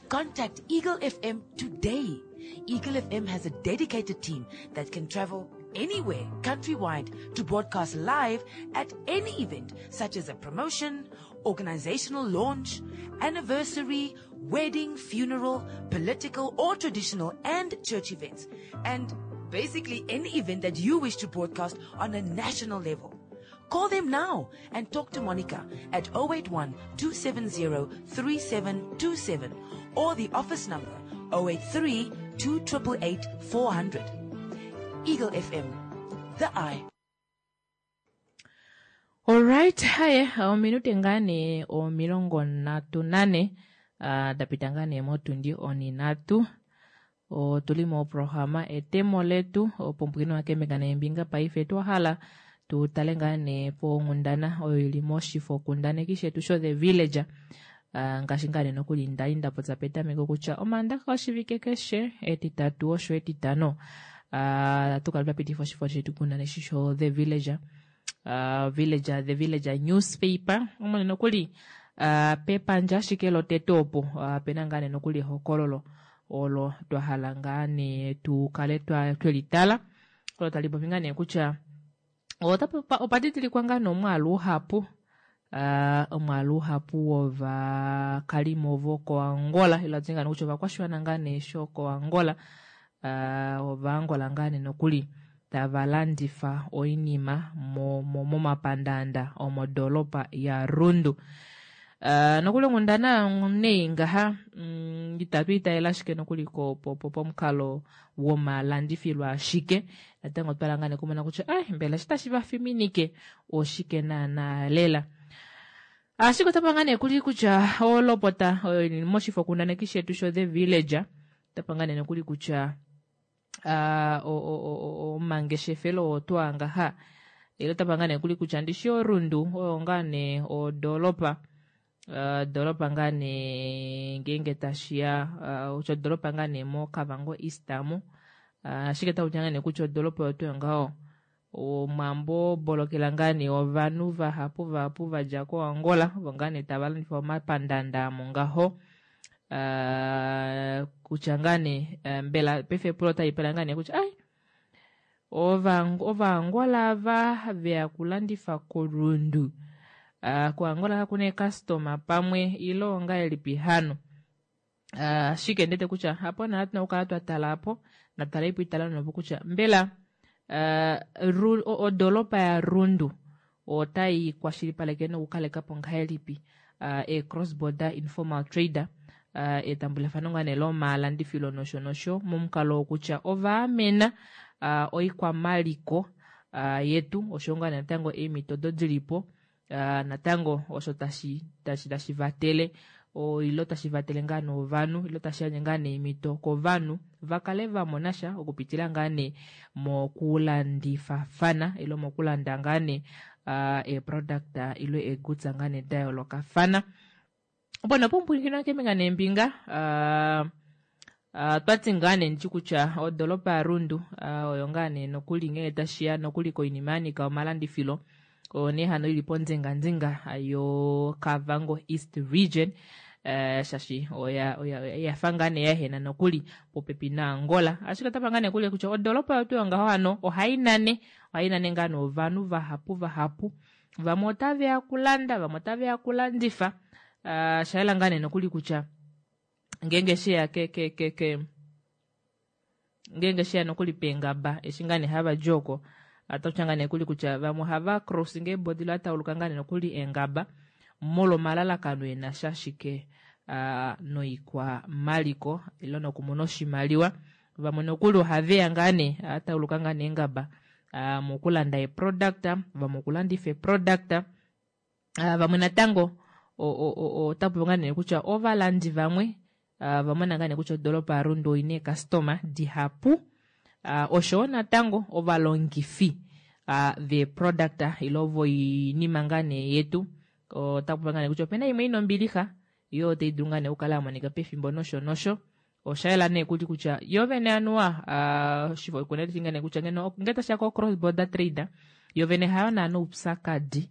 Contact Eagle F M today. Eagle F M has a dedicated team that can travel anywhere countrywide to broadcast live at any event, such as a promotion, organizational launch, anniversary, wedding, funeral, political or traditional and church events, and basically any event that you wish to broadcast on a national level. Call them now and talk to Monica at oh eight one two seven zero three seven two seven or the office number oh eight three two eight eight four hundred. Eagle F M, the eye. Alright, haye ominute ngaa nee omilongo nhatu nane uh, da pita ngaa nee motundi oninhatu. Otuli moprograma Etemo Letu opompwino wakemeka neembinga. Paife twahala tu tale ngaa nee ponghundana oyo ili moshifo kundaneki shetu sho The Villager. Uh, ngaashi ngaa nee nokuli ndali nda popya petameko kutya omaandaxa oshivike keshe, etitatu osho etitano, uh, tukala twa pitifa oshifo shetu kundaneki sho The Villager, uh, Villager, The Villager newspaper. Omone nokuli uh, pepandja ashike lotete opo uh, pena ngaa nee nokuli ehokololo olo twa hala ngaa nee tu kale twelitala, olo tali popi ngaa nee kutya opa didilikwa ngaa nee omwaalu uhapu, uh, omwaalu uhapu wovakalimo vokoAngola, ilo ati ngaa nee kutya ovakwashiwana ngaa nee shokoAngola, uh, ovaangola ngaa nee nokuli tava landifa oinima momapandaanda omodoolopa yaRundu. Uh, nokuli onghundana nei ngaha mm, itatu itaela ashike nokuli pomukalo womalandifilo, ashike natango otwa ngaa nee kumona kutya ai mbela eshi tashi vafiminike oshike naana lela. Ashike otapa ngaa nee kuli kutya olopota oyo moshifo kundaneki shetu sho The Villager otapa ngaa nee nokuli kutya omangeshefelo otwa ngaha ilo tapa ngaa nee kuli kutya ndishi oRundu oyo ngaa nee odoolopa, doolopa ngaa nee ngeenge tashiya kutya odoolopa ngaa nee moKavango East amu, ashike takutya ngaa nee kutya odoolopa oyo tuu ngaho omwambo bolokela ngaa nee ovanhu vahapu vahapu vadja koAngola ovo ngaa nee tava landifa omapandanda amo ngaho. Uh, kutya ngaa nee mbela paife epulo otali pula ngaa nee kutya ai Ovaangola ava veya kulandifa koRundu, uh, koAngola kakuna eekastoma pamwe ilo ongahelipi hano? Ashike uh, ndete kutya apo naa tuna okukala twa tala apo natala ipo itala nopo kutya mbela uh, odoolopa yaRundu otai kwashilipaleke nokukalekapo ngahelipi uh, e cross border informal trader, uh, etambulafano ngaa nee lomalandifilo nosho nosho momukalo wokutya ovaamena uh, oikwamaliko uh, yetu osho ngaa natango eemhito odo dilipo uh, natango osho tashi tashi tashi vatele ilo tashi vatele ngaa novanhu ilo tashi yandje ngaa neemhito kovanhu vakale vamona sha okupitila ngaa nee mokulandifafana ilo mokulanda ngaa nee uh, eeproduct ilo eegoods ngaa nee da yoolokafana. Opo nopumpwilikina keembinga neembinga, uh, uh, twati ngaa nee ndityi kutya odoolopa yaRundu uh, oyo ngaa nee nokuli ngenge tashiya nokuli koinima yanika omalandifilo oyo nee hano ili pondzinganzinga yoKavango East Region, uh, shashi oya oya ngaa nee yahena nokuli popepi naAngola. Ashike otapa ngaa nee kuli kutya odoolopa yotu yongaho hano ohai nane ohai nane ngaa novanhu vahapu vahapu, vamwe otaveya kulanda, vamwe otaveya kulandifa. uh, shayela ngaa nee nokuli kutya ngeenge sheya ke ke ke ke ngeenge sheya nokuli peengaba eshi ngaa nee hava di oko atakutya ngaa nee kuli kutya vamwe ohava crossing eebodi ilo atauluka ngaa nee nokuli eengaba molwa omalalakano ena sha ashike uh, noikwamaliko ilo nokumona oshimaliwa. Vamwe nokuli ohaveya ngaa nee atauluka ngaa nee eengaba uh, mokulanda eproduct, vamwe okulandifa eproduct, uh, vamwe natango otapu ngaa nee kutya ovalandi vamwe uh, vamona ngaa nee kutya odoolopa yaRundu oina eekastoma dihapu, uh, oshowo natango ovalongifi uh, veeproduct ilo voinima ngaa nee yetu otapu ngaa nee kutya opena imwe ina ombilixa yo otai dulu ngaa nee okukala yamonika pefimbo nosho nosho. Oshayela nee kuli kutya yo vene anuwa uh, oshifo kundaneki ngaa nee kutya ngeno nge tashiya ko cross border trade yo vene hayo naana oupyakadi.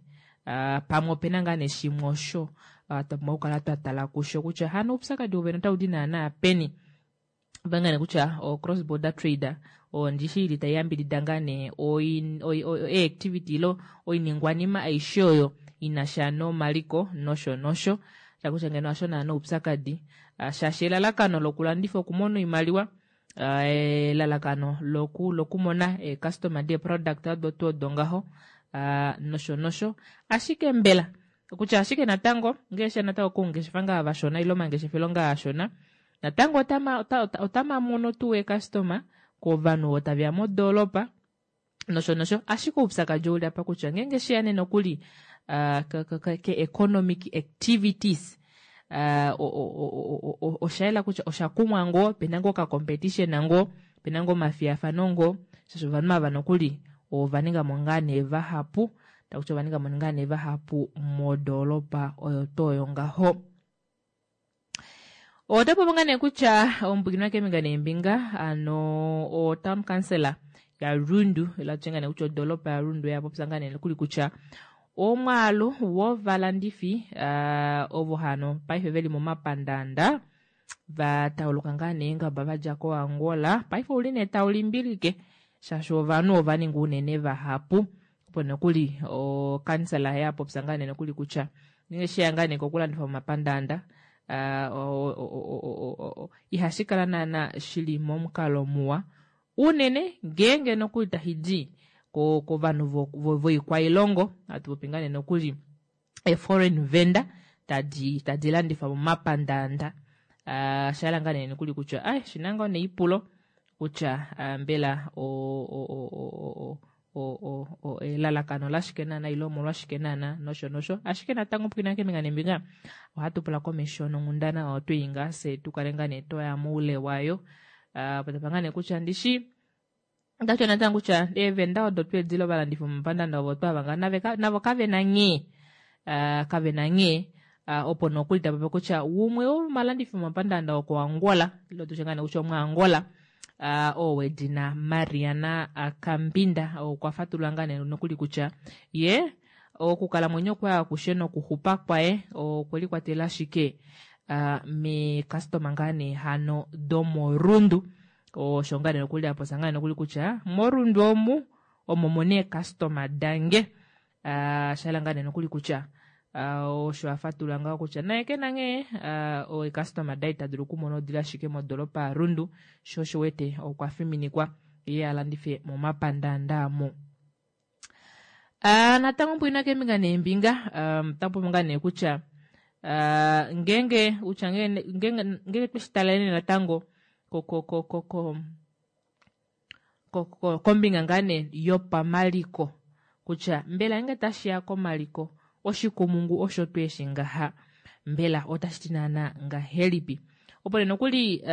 Pamwe opena ngaa nee shimwe osho twa pumbwa okukala twa tala kusho kutya hano oupyakadi wovene otaudi naana peni. Opena nee kutya o cross border trade ondishi ili taiyambidida ngaa nee eactivity ilo oiningwanima aishe oyo inasha nomaliko nosho nosho shakutya ngeno hasho naana oupyakadi shaashi elalakano lokulandifa okumona oimaliwa, elalakano lokumona eecustomer deeproduct odo tuu odo ngaho nosho nosho. Ashike mbela kutya ashike natango ngee osheya natango koungeshefa ngaa vashona ile omangeshefelo ngaa ashona natango otamamono tuu eecustomer kovanhu ovo taveya modoolopa nosho nosho. Ashike oupyakadi ouli apa kutya ngeenge sheya nee nokuli ke economic activities oshayela kutya osha kumwa ngoo, pena ngoo okacompetition ngoo, pena ngoo omafiyafano ngoo, shaashi ovanhu ava nokuli ovaningamo ngaa nee vahapu, takutya ovaningamo ngaa nee vahapu modoolopa oyo tuu oyo ngaho. Otapopi ngaa nee kutya omupwikinwa keembinga neembinga ano o town councillor ya Rundu, ila tutye ngaa nee kutya odoolopa ya Rundu yapopya ngaa nee nokuli kutya omwaalu wovalandifi ovo hano paife veli momapandaanda vatauluka ngaa nee eengaba vadja ko Angola paife ouli nee taulimbilike shaashi ovanhu ovaninga unene vahapu. Opo nokuli okansela yapopya ngaa nee nokuli kutya ngenge sheya ngaa nee kokulandifa momapandaanda ihashi kala naana shili momukalo muwa unene ngeenge nokuli tashi kovanhu voikwailongo hatu popi ngaa nee nokuli e-foreign vendor tadi tadi landifa momapandaanda. Oshahala ngaa nee nokuli kutya ai shina ngoo neipulo kutya mbela elalakano lashike naana ile omolwashike naana nosho nosho. Ashike natango pwiina keembinga neembinga ohatu pula komesho nonghundana oyo twei ngaa fye tukale ngaa nee twaya moule wayo. Patapa ngaa nee kutya ndishi otakutya natango kutya eevenda odo tweedila ovalandifi vomomapandaanda ovo twava ngaa navo kavena nghee kavena nghee opo nokuli tapopi kutya umwe womomalandifi vomomapandaanda woko Angola ile tutye ngaa nee kutya omuAngola oo wedina Mariana Kambinda okwa fatulula ngaa nee nokuli kutya ye okukalamwenyo kwaye akushe nokuxupa kwaye okwelikwatelela ashike meekastoma ngaa nee hano domorundu. Osho ngaa nee nokuli apopya ngaa nee nokuli kutya morundu omu omo muna eekastoma dange. Oshahala ngaa nee nokuli kutya osho afatulula ngaho kutya naye kena nghee eekastoma daye ita dulu okumona odili ashike modoolopa yaRundu, sho osho wete okwa fiminikwa ye alandife momapandaanda aamo. Natango mpwiina keembinga neembinga otapopi ngaa nee kutya ngeenge kutya ngeenge tweshitalele natango kombinga ngaa nee yopamaliko kutya mbela ngeenge tashiya komaliko oshikumungu osho tweeshi ngaha mbela otashi ti naana ngahelipi. Opo nee nokuli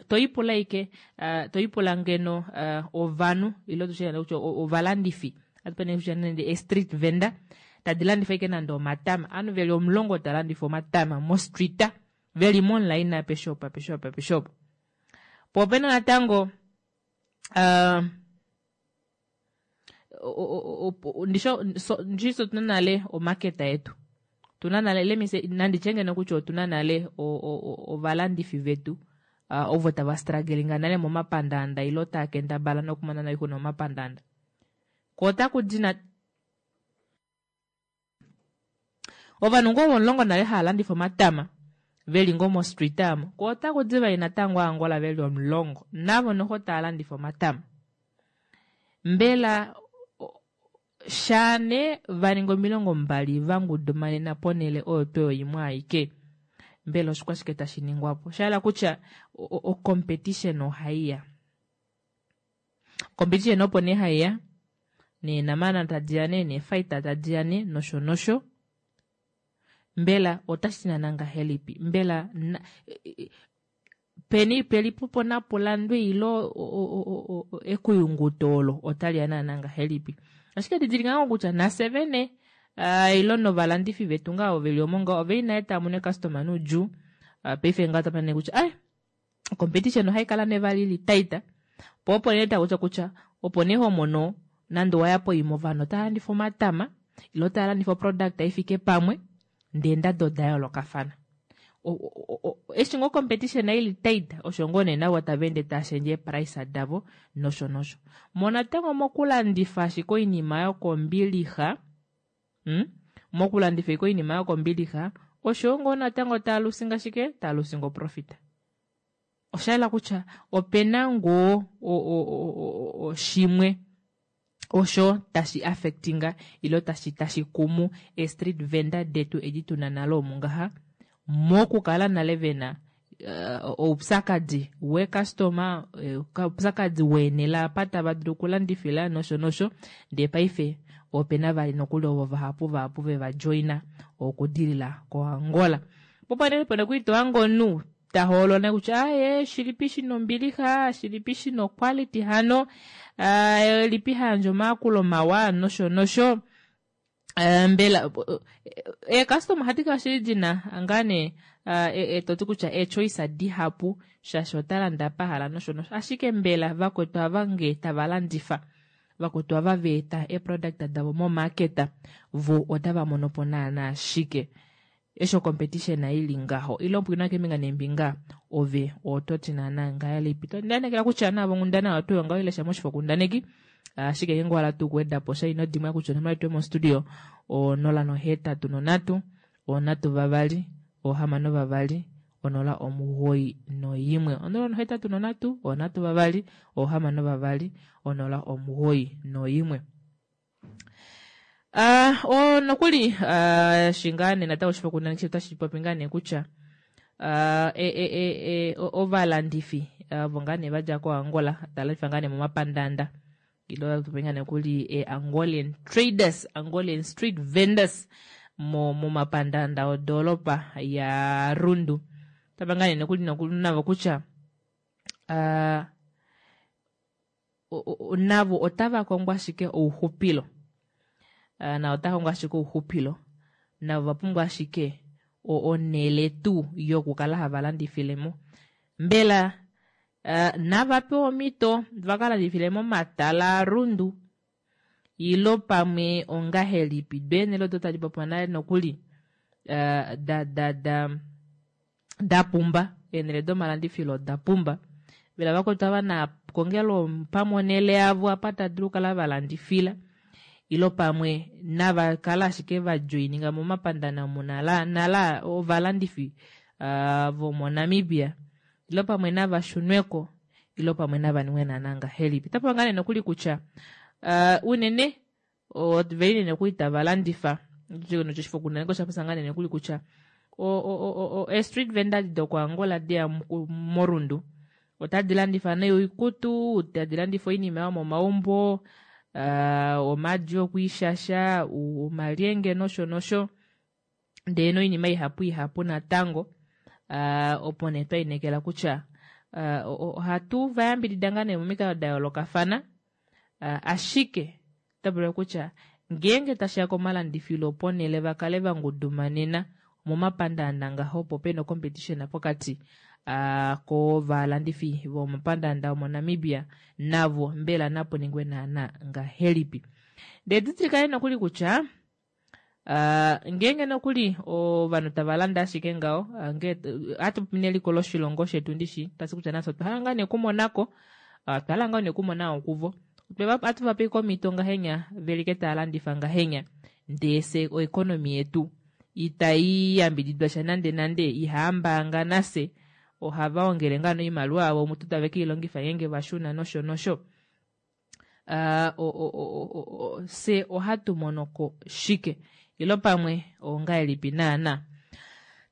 toipula ashike toipula ngeno ovanhu ile tutye kutya ovalandifi atupe kutya nande e-street vendor tadi landifa ashike nande omatama, ovanhu veli omulongo talandifa omatama mostreet veli momulaini apeshe opo apeshe opo apeshe opo. Po opena natango ndishi otuna nale omaketa yetu tuna nale let me say nanditye ngeno kutya otuna nale ovalandifi vetu ovo tava strugglinga nale momapandaanda ile tava kendabala nokumona oixuna momapandaanda. Ko otaku di na ovanhu ngoo omulongo nale hava landifa omatama veli ngoo mostreet aamo, ko otaku di vali natango Angola veli omulongo navo noxo tava landifa omatama. Mbela shaane vaninga omilongo mbali vangudumanena ponele oyo tuu oyo imwe aike, mbela oshikwashike tashi ningwapo? Oshahala kutya ocompetition ohaiya, competition opo nee haiya neenamana tadiya nee neefighter tadiya nee nosho nosho. Mbela otashi ti naana ngahelipi? Mbela peni pelipo napulandwe ile ekuyunguto olo otaliya naana ngahelipi? Ashike didilika ngoo kutya nafye vene ile novalandifi vetu ngaa veli omo ngaho oveli nale taamono eekastoma noudjuu. Paife ngaho otapa nee kutya ai competition ohaikala nee vali ili tight, po opo nee takutya kutya opo nee homono Nande owaya poima ovanhu otava landifa omatama ile otava landifa oproduct ifike pamwe ndee eendado oda yoolokafana. Eshi ngoo competition ili tight osho ngoo nee navo tava ende tava shendje eeprice davo nosho nosho. Mo natango mokulandifa ashike oinima yokombilixa, mm? Mokulandifa ashike oinima yokombilixa osho ngoo natango taa lusinga shike, taa lusinga oprofit. Osha yela kutya opena ngoo shimwe osho tashi affectinga ile tashi tashi kumu e street vendor detu edi tuna nale omu ngaha mokukala nale vena uh, oupyakadi wecustomer, oupyakadi weenhele apa tava dulu okulandifila nosho nosho, ndee paife opena vali nokuli ovo vahapu vahapu veva joina okudilila koAngola. Popanele pone kuitoa omunhu ta hoolola kutya aye shilipi shina ombilixa, shilipi shina oquality hano, uh, lipi hayandje omayakulo mawa nosho nosho. Uh, mbela eecustomer ohadi kala shili dina ngaa nee uh, toti kutya eechoice dihapu shaashi ota landa pahala nosho nosho, ashike mbela vakwetu ava nge tava landifa, vakwetu ava veeta eeproduct davo momarket vo otava mono po naana shike? Eshi competition ili ngaho ile ompwina keembinga neembinga ove ototi naana ngahelipi? Ndanekela kutya navo onghundana oyo tuu ngaho ilesha moshifokundaneki, ashike ngeenge owahala tuu okuweda po sha ino dimwa kutya onomola yetu yomostudio onola nohetatu nonhatu onhatu vavali ohamano vavali onola omugoyi noimwe, onola nohetatu nonhatu onhatu vavali ohamano vavali onola omugoyi noimwe. Uh, o nokuli uh, shingaa nee natango oshifokundaneki otashi popi ngaa nee kutya uh, e, e, e, e, ovalandifi ovo ngaa nee vadja koAngola tava landifa ngaa nee momapandaanda ile topopi ngaa nee kuli e Angolian traders, Angolian street vendors mo momapandaanda odoolopa ya Rundu. Tava ngaa nee nokuli navo kutya uh, navo otava kongo ashike ouxupilo. Uh, na ota kongo ashike ouxupilo, navo va pumbwa ashike onhele tuu yokukala hava landifile mo. Mbela uh, nava pewe omhito vaka landifile momatala aRundu ilo pamwe ongahelipi? Do eenhele odo tadi popiwa nale nokuli uh, da da da da pumba, eenhele domalandifilo oda pumba. Mbela vakwetu ava na kongelo pamwe onhele yavo apa tava dulu okukala valandifila ilo pamwe nava kala ashike va joininga momapandana omu nala nala ovalandifi uh, vomoNamibia ilo pamwe nava shunweko ilo pamwe nava ningwe naana ngahelipi? Otapopi ngaa nee nokuli kutya uh, unene veli nokuli tava landifa oshifokundaneki osha popya ngaa nee nokuli kutya e-street vendor dokoAngola deya moRundu otadi landifa nee oikutu, tadi landifa oinima yomomaumbo, uh, omaadi okwiishasha, omalyenge nosho nosho, ndee noinima ihapu ihapu natango. Uh, opo nee twainekela kutya uh, ohatu vayambidida ngaa nee momikalo da yoolokafana, uh, ashike otapula kutya ngeenge tashiya komalandifilo ponhele vakale vangudumanena momapandaanda ngaho opo pena competition pokati uh, kovalandifi vomomapandaanda omoNamibia navo mbela napo ningwe naana ngahelipi? Ndee didilikane nokuli kutya uh, ngeenge nokuli ovanhu tava landa ashike ngaho, uh, nge ohatu popi neliko loshilongo shetu ndishi tasi kutya nafye otwa hala ngaa nee okumonako, uh, otwa hala ngaa nee okumona okuvo ohatu vape omhito ngahenya velike tava landifa ngahenya, ndee se oeconomy yetu itai yambididwa sha nande nande, ihaambaanga nafye ohava ongele ngaa noimaliwa yavo mutu tave keilongifa ngeenge vashuna nosho nosho. Uh, fye ohatu monoko shike ilo pamwe ongahelipi naana?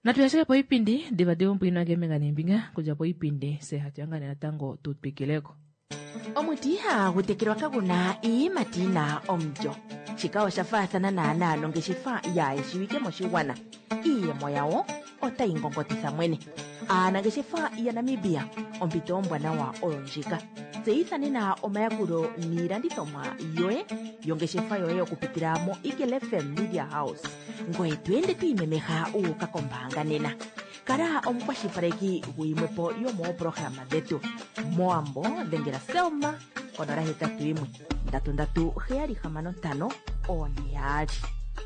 Natu ashike poipindi diva diva omupwiina keembinga neembinga, kudja poipindi fye hatu yangane natango tu twikileko. Omuti ihagu tekelwa kaguna iiyimati yina omulyo. Shika osha faathana naana nongeshefa yaayeshiwike moshigwana. Iiyemo yawo otayi ngongotitha mwene. Aanangeshefa yaNamibia, ompito ombwanawa oyo ndjika. Tseyitha nena omayakulo niilandithomwa yoye yongeshefa yoye okupitila mo Eagle F M Media House. Ngoye to ende to imemeha uuka kombaanga nena. Kala omukwashilipaleki guyimwe po yomooprograma dhetu. Moambo dhengela Selma Konola hetatu imwe ndatu ndatu heyali hamano ntano one yaali.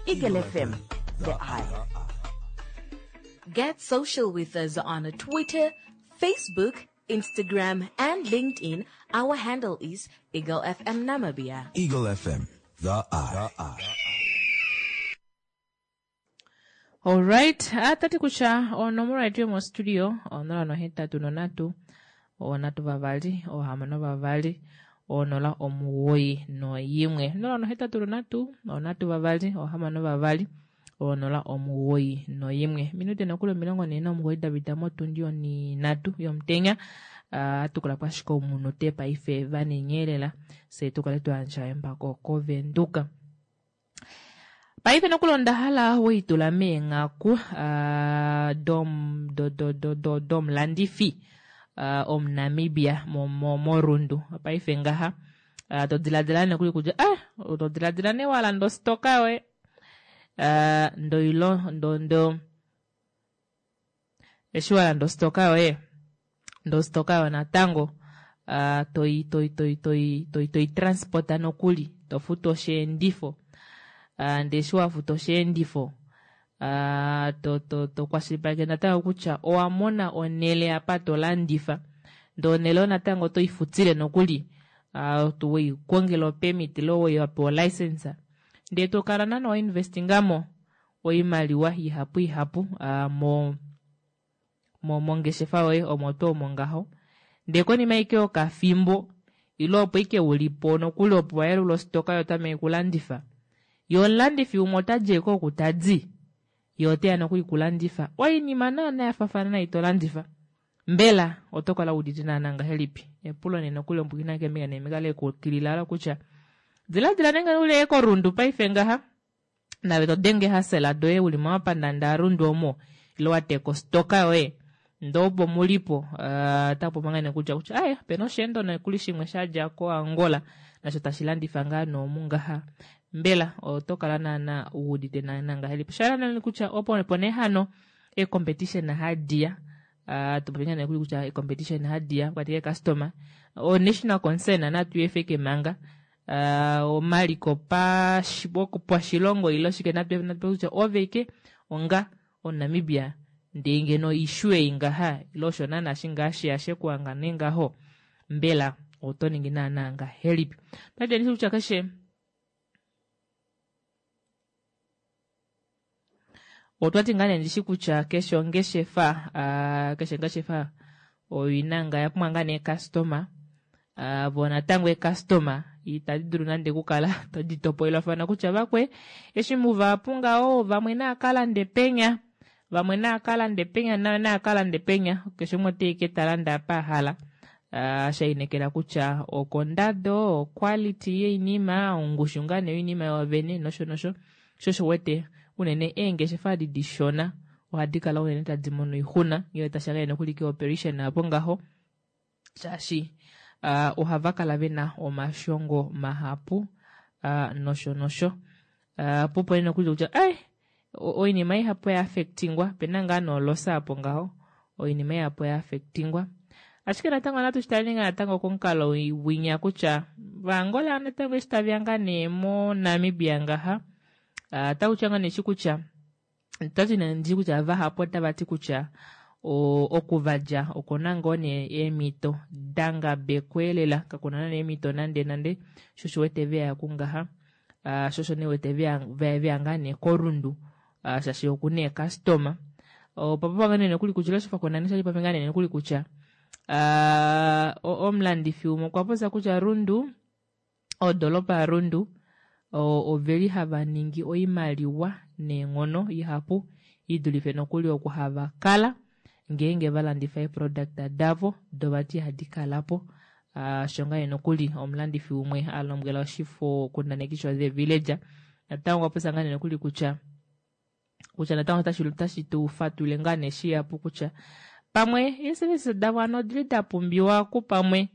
Eagle F M, the eye. Get social with us on Twitter, Facebook, Instagram, and LinkedIn. Our handle is Eagle F M Namibia. Eagle F M, the eye. The eye. Alright, atati kutya onomola yetu yomostudio onola nohetatu nonhatu onhatu vavali ohamano vavali onola omugoyi noyimwe, onola nohetatu nonhatu onhatu vavali ohamano vavali onola omugoyi noyimwe. Minute nokuli omilongo nhee nomugoyi da pita motundi oninhatu yomutenya. Atukula po ashike omunute paife vanenyelela fye tukale twayandja embako kovenduka. Paife nokuli onda hala weitula meenghaku uh, dom, do, do, do, do, domulandifi uh, omuNamibia moRundu paife ngaha uh, to diladila nokuli kutya ah, to diladila nee walanda ositoka yoye uh, ndoilo ndo ndo eshi walanda ositoka yoye ndo ositoka yoye natango uh, toi toi toi toi toi toi transporta nokuli tofutu osheendifo uh, ndee eshi wafuta osheendifo uh, to, to, to kwashilipaleke natango kutya owa mona onhele apa tolandifa ndee onhele oyo natango otoifutile nokuli uh, weikongela opermit ile weyapewa olicense ndee tokala naana wainvestingamo oimaliwa ihapu ihapu uh, mo mongeshefa yoye omo tuu omo ngaho. Ndee konima ashike yokafimbo ile opo ashike ulipo nokuli opo wayelula ositoka yo otameke okulandifa ye omulandifi umwe otadi ashike oku tadi ye oteya nokuli kulandifa oinima naana yafafana nai tolandifa. Mbela oto kala wuudite naana ngahelipi? Epulo nee nokuli ombwina keembinga neembinga lekukilila olo kutya diladila nenge uli koRundu paife ngaha nave todenge hasela doye uli momapandanda aRundu omo ile wateka ositoka yoye ndee opo mulipo uh, tapopi ngaa nee kutya kutya aye opena osheendo nokuli shimwe shadja koAngola nasho tashi landifa ngaa noomu ngaha. Mbela oto kala naana wuudite naana ngahelipi? Osha yela kutya opo opo nee hano ecompetition hadiya uh, tupopi ngaa nee kutya ecompetition hadiya pokati keecustomer o national concern natu efeke manga uh, omaliko pashilongo ile shike natu kutya ove ike onga omuNamibia ndee ngeno issue ei ngaha ile osho naana shingaa sheya shekuhanga nee ngaho mbela oto ningi naana ngahelipi? Paife ndishi kutya keshe otwati ngaa nee ndishi kutya keshe ongeshefa uh, keshe ongeshefa oina ngaa yapumbwa ngaa nee customer uh, vo natango ecustomer itadi dulu nande okukala todi topolelwafana kutya vakwe eshi muvahapu ngaho vamwe naakalande penya vamwe naakalande penya nayo naakalande penya keshe umwe oteike talanda apa ahala uh, shainekela kutya okondado oquality yoinima ongushu ngaa nee yoinima yovene nosho nosho sho osho wete unene eengeshefa adi dishona ohadi kala unene tadi mono oixuna ngele tashiya nokuli keoperation apo ngaho shaashi uh, ohava kala vena omashongo mahapu uh, nosho nosho uh, popo nokuli kutya ai oinima ihapu oya affectingwa pena ngaa noolosa apo ngaho oinima ihapu oya affectingwa. Ashike natango natu shitale ngaa natango komukalo winya kutya vaAngola natango eshi taveya ngaa nee moNamibia ngaha uh, otakutya ngaa nee shi kutya otati nee ndi kutya vahapu otava ti kutya okuvadja okuna ngoo nee eemhito dangabekwa kakuna nande eemhito nande nande sho osho wete veya kungaha uh, sho osho nee wete veya ngaa nee koRundu uh, shaashi okuna eecustomer opa ngaa nee nokuli kutya oshifokundaneki shali popi ngaa nee nokuli kutya uh, omulandifi umwe okwa popya kutya Rundu odolopa yaRundu oveli hava ningi oimaliwa neenghono ihapu idulife nokuli oku hava kala ngeenge valandifa eeproduct davo dovati ihadi kalapo uh, sho ngaa nokuli omulandifi umwe alombwela oshifo kundaneki sho The Villager. Natango okwa popya ngaa nee nokuli kutya kutya natango otashi tu fatulile ngaa nee shihapu kutya pamwe eeservice davo hano odili da pumbiwa kupamwe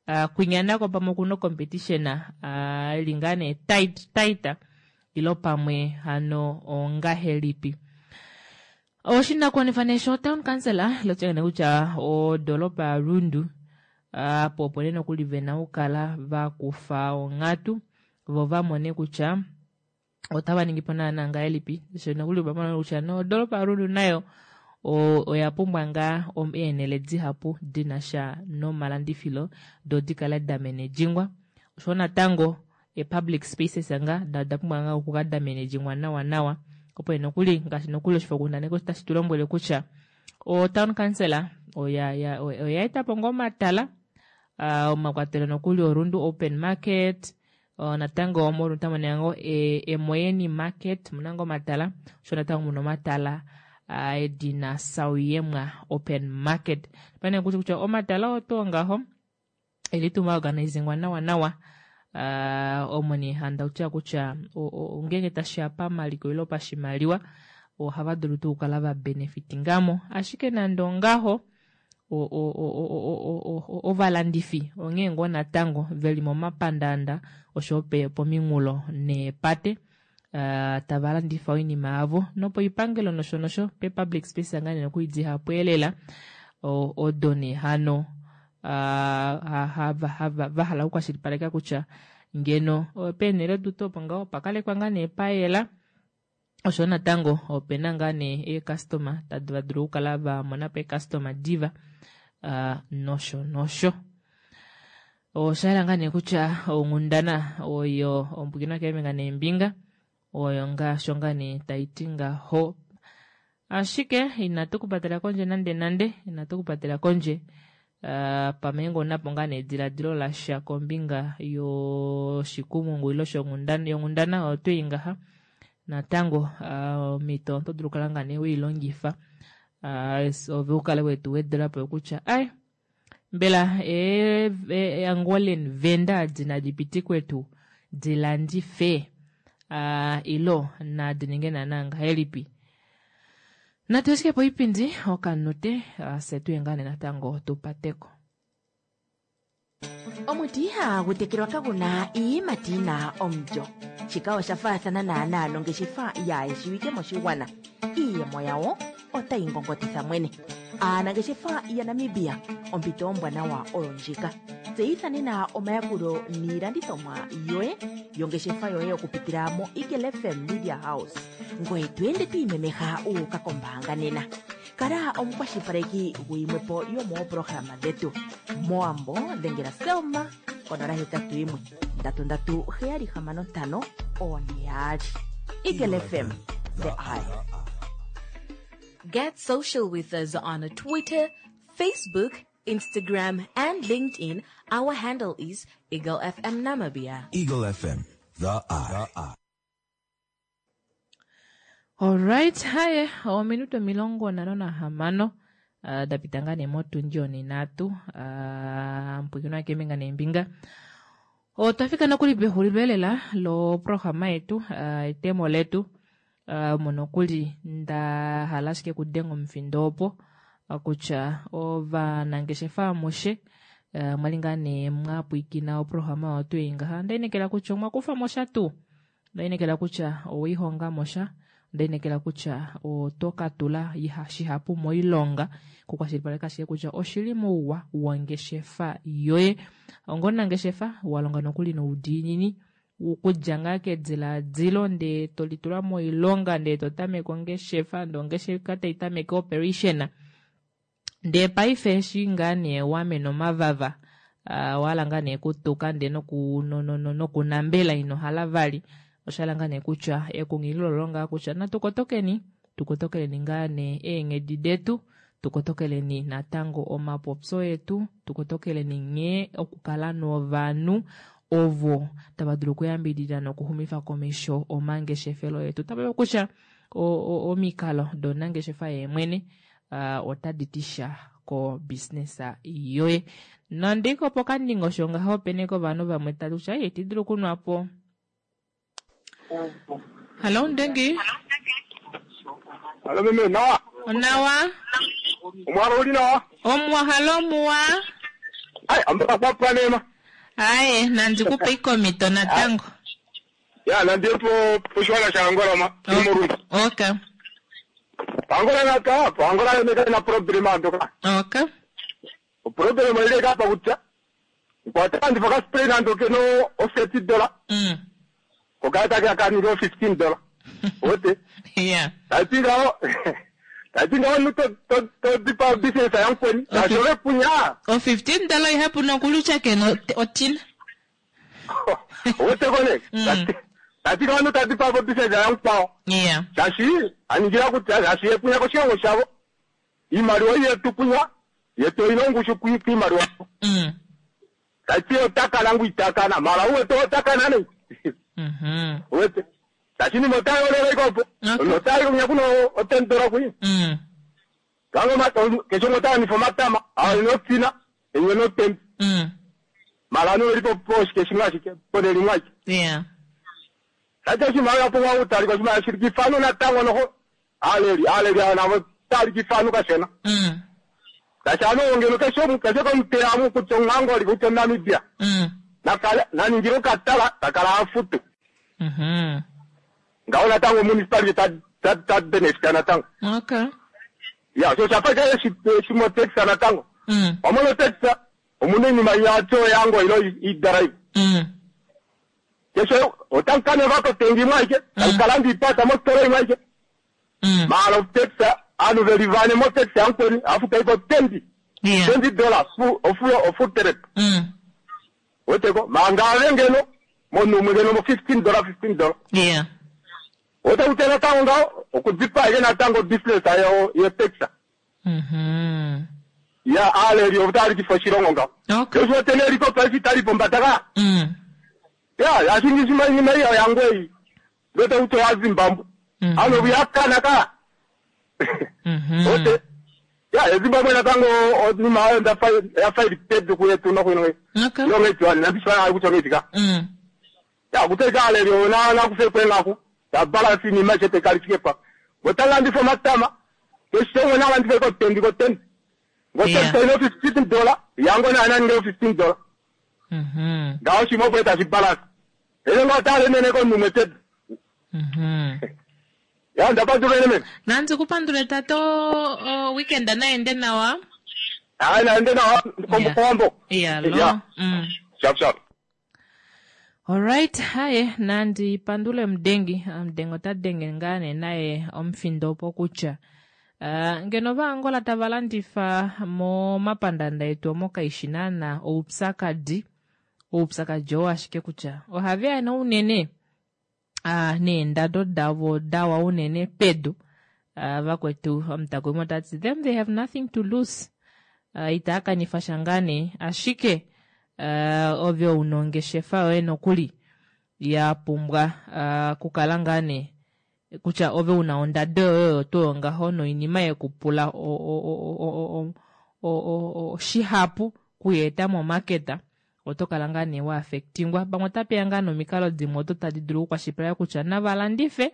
uh, kwinya nako pamwe okuna competition uh, ili ngaa nee tight tight ilo pamwe hano ongahelipi. Oshinakuwanifwa nee sho town council lotya kutya odolopa yaRundu Apo opo nee nokuli vena okukala vakufa onghatu vo vamone kutya otava ningipo naana ngahelipi sho nokuli vamona kutya nodoropa yaRundu nayo oya pumbwa ngaa eenhele dihapu dinasha nomalandifilo doo dikale damenedjingwa oshowo natango ee-public spaces nga oda pumbwa ngaa okukala damenedjingwa nawa nawa opo nokuli ngaashi nokuli oshifokundaneki otashi tulombwele kutya o-town council oya oya etapo ngoo omatala omakwatelo nokuli oRundu open market natango moRundu otamu monika ngoo Emoyeni market omuna ngoo omatala oshowo natango muna omatala edina Sauyemwa open market opena nee kutya omatala oo tuu ngaho eli tuu maorganizingwa nawa nawa omo nee handi kutya kutya ngeenge tashiya pamaliko ile pashimaliwa ohava dulu tuu okukala vabenefitingamo ashike nande ongaho ovalandifi onghee ngoo natango veli momapandaanda oshowo pominghulo neepate tava landifa oinima yavo nopoipangelo nosho nosho pe-public space ngaa nee nokuli dihapu elela odo nee hano vahala okukwashilipaleka kutya ngeno peenhele odo opo ngaho opa kalekwa ngaa nee payela oshowo natango opena ngaa nee eecustoma tadi dulu okukala vamonapo eecustoma diva nosho nosho. Oshayela ngaa nee kutya onghundana oyo ombwikinwa keembinga neembinga oyo ngaasho ngaa nee taiti ngaho. Ashike inatu kupatela kondje nande nande inatu kupatela kondje pamwe ngoo omunapo ngaa nee ediladilo lasha kombinga yoshikumungu ile yonghundana oyo twei ngaha natango omhito oto dulu okukala ngaa nee weilongifa ove ukale wetu wedelapo kutya ai mbela Angolan vendor adi nadi pitikwe tuu dilandife ilo nadi ninge naana ngahelipi. Natu ashike poipindi okanute fye tuye ngaa nee natango tupateko. Omuti ihagu tekelwa kaguna iiyimati yina omulyo. Shika osha faathana naanaa nongeshefa yaayeshiwike moshigwana. Iiyemo yawo otayi ngongotitha mwene. Aanangeshefa yaNamibia, ompito ombwanawa oyo ndjika. Tseyitha nena omayakulo niilandithomwa yoye yongeshefa yoye okupitila moEagle F M Media House. Ngoye to ende to imemeha wu uka kombaanga nena. Kala omukwashilipaleki guyimwe po yomooprograma dhetu. Mowambo dhengela Selma konola hetatu yimwe ndatu ndatu heyali hamano ntano one yaali. Eagle F M, the eye. Get social with us on Twitter, Facebook, Instagram, and LinkedIn. Our handle is Eagle F M Namibia. Eagle F M, the eye. Alright, haye ominute omilongo nhano nahamano uh, dapita ngaa nee motundi onhinhatu uh, mpwikinwa keembinga neembinga. Otwa fika nokuli pexulilo elela loprograma yetu uh, etemo letu uh, omo nokuli nda hala ashike okudenga omufindo opo kutya ovanangeshefa amushe uh, mwali ngaa nee mwapwiikina oprograma oyo tuu ngaha ndainekela kutya omwa kufa mo sha tuu ndainekela kutya oweihonga mo sha ndainekela kutya oto ka tula shihapu moilonga kukwashilipaleka ashike kutya oshili mouwa wongeshefa yoye. Onga omunangeshefa walonga nokuli noudiinini okudja ngaa kediladilo ndee tolitula moilonga ndee totameke ongeshefa ndee ongeshefa taitameke operation ndee paife eshi ngaa nee wamena omavava owahala ngaa nee okutuka ndee nokunambela ino hala vali oshahala ngaa nee kutya ekunghililo olo ngaa kutya natu kotokeni tukotokeleni ngaa nee eenghedi detu tukotokeleni natango omapopyo etu tukotokeleni nghee okukala novanhu ovo tava dulu okuyambidida nokuxumifa komesho omangeshefelo etu. Tava kutya omikalo domunangeshefa yeemwene otadi ti sha ko business yoye. Nande pokandingosho ngaho opena ovanhu vamwe tati kutya iti dulu okunwapo. Hallo Ndengi. Hallo meme, nawa? Nawa. Omwalo uli nawa? Omwa halo muwa. Ai, ambaka kwa panema. Aye, nandikupe ikomito natango. Ya, nandiye po poshiwana sha Angola ma. Imurundu. Okay. Angola naka, Angola neka na problem andoka. Okay. Problem ile kapa kutya Otalandifa okaspray nande okena o thirty dollar. Mm. Okala take ka ningi o fifteen dollar. Ote. Yeah. Tati ngaho tati ngaho omunhu to to to dipa obusiness yamukweni. Shaashi ove punya. O fifteen dollar ihapu nokulutya kena otina. Ote kone. Tati ngaho omunhu ta dipa obusiness yamukwao. Yeah. Shaashi aningila kutya shaashi ye punya koshilongo shavo. Iimaliwa yetu punya yetu oyina ongushu kiimaliwa. Mm. Tati otakana ngu itakana mara uwete otakana ne. Mhm. Uwete. Shaashi nima otayolele ikopo. Otayi kunya kuno o ten dollar kuyi. Mm. Kango ma kesho ngotalandifa omatama ayo inotina enye notembi. Mm. Mara ano elipo poshike shimwe ashike ponele imwe ashike. Yeah. Tati oshimaliwa pumbwa okutalika oshimaliwa shili kifano natango noho aleli aleli avo navo tali kifano kashona. Mm. Tashi ano ngeno keshe keshe komuteyamu kutya omuAngola kutya omuNamibia. Mm. Nakale naningile okatala takala afutu. Mhm. Ngaho natango municipality ta ta ta benefita natango. Okay. Ya so shafa ke shimo tax natango. Mm. Omono tax omuna iinima yacho yango ilo idrive. Mm. Keshe otankane vako tengi imwe ashike takalanda ipata mositola imwe ashike. Mm. Mara tax anu velivane mo tax yankweni afuta iko twenty. Yeah. Twenty dollars fu ofu ofu trip. Mm. Weteko mangave ngeno munhu umwe ngeno mo fifteen dollar fifteen dollar. Yeah. Ote kutya natango ngaho okudipa ike natango business ayo ye tax. Mhm. Ya aleli otalikifa oshilongo ngaho. Okay. Kesho otene liko paife itali pombada ka. Mm. Ya yashingishima iinima iyo yangu eyi. Lwete kutya oya Zimbabwe. Mm. Ano kuyakana ka. Mhm. Ote. Ya eZimbabwe natango onima ayo ndafa yafa pedu kuyetu nokuino. Okay. Yongedziwa nabiswa ayi kutya ngeitika. Mm. Ya kuteka aleli ona nakufe kwenaku. Ya balance iinima chete kalifike pa. Ngotalandifa omatama. Keshe nalandifa ko tendi ko tendi. Yeah. Ngotalandifa ino fifteen dollar. Yango na nani fifteen dollar. Mhm. Ngaho shimwe kweta shibalance. Ele ngotalemene ko numwe tedu. Mhm. Ya ndapandula mene. Nandzi kupandule tato o, weekend naende nawa. Hayi naende nawa kombo kombo. Yeah, lo. Yeah. Mm. Sharp sharp. Alright, haye nandi pandule Mdengi. Ah, Mdengi ota denge ngaa nee naye omufindo opo kutya uh, ngeno vaAngola tava landifa momapandanda etu omo kaishi naana oupyakadi. Oupyakadi oo ashike kutya ohaveya nee unene uh, neendado davo dawa unene pedu. Uh, vakwetu omutakumi otati them they have nothing to lose. Uh, itaya kanifa sha ngaa nee ashike uh, ove una ongeshefa yoye nokuli ya pumbwa uh, kukala ngaa nee kutya ove una ondado yoye oyo tuu ngaho noinima yekupula o- o- o- o- o- o- o- o- shihapu kuyeeta momaketa oto kala ngaa nee wa affectingwa. Pamwe otapeya ngaa nomikalo dimwe odo tadi dulu okukwashilipaleka kutya navalandife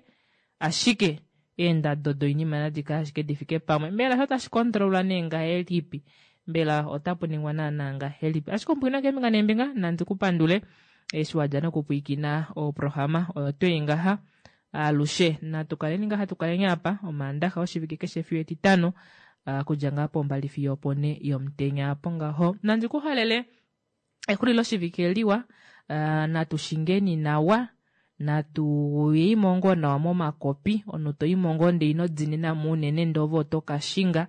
ashike eendado doinima nadi kale ashike di fike pamwe. Mbela osho tashi kontrolwa nee ngahelipi? Mbela otapu ningwa naana ngahelipi? Ashike omupwina keembinga neembinga nandi kupandule eshi wadja nokupwiikina oprograma oyo twei ngaha alushe. Natu kaleni ngaha tukaleni apa omaandaxa oshivike keshe fiyo etitano uh, kudja ngaa pombali fiyo opone yomutenya apo ngaho. Nandi kuhalele exulilo shivike liwa, uh, natu shingeni nawa, natu yeimo ngoo nawa momakopi, omunhu toimo ngoo ndee ino dinina mo unene ndee ove oto kashinga.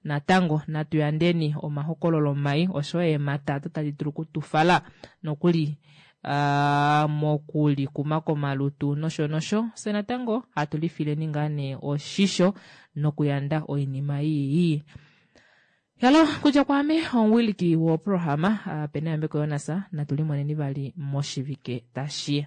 Natango natu yandeni omahokololo mai osho eemhata odo tadi dulu okutufala nokuli uh, mokulikuma komalutu nosho nosho. Fye natango hatu lifileni ngaa nee oshisho nokuyanda oinima ii. Yalo kudja kwaame omuwiliki woprograma uh, Peneyambeko Jonas, natu limoneni vali moshivike tashiya.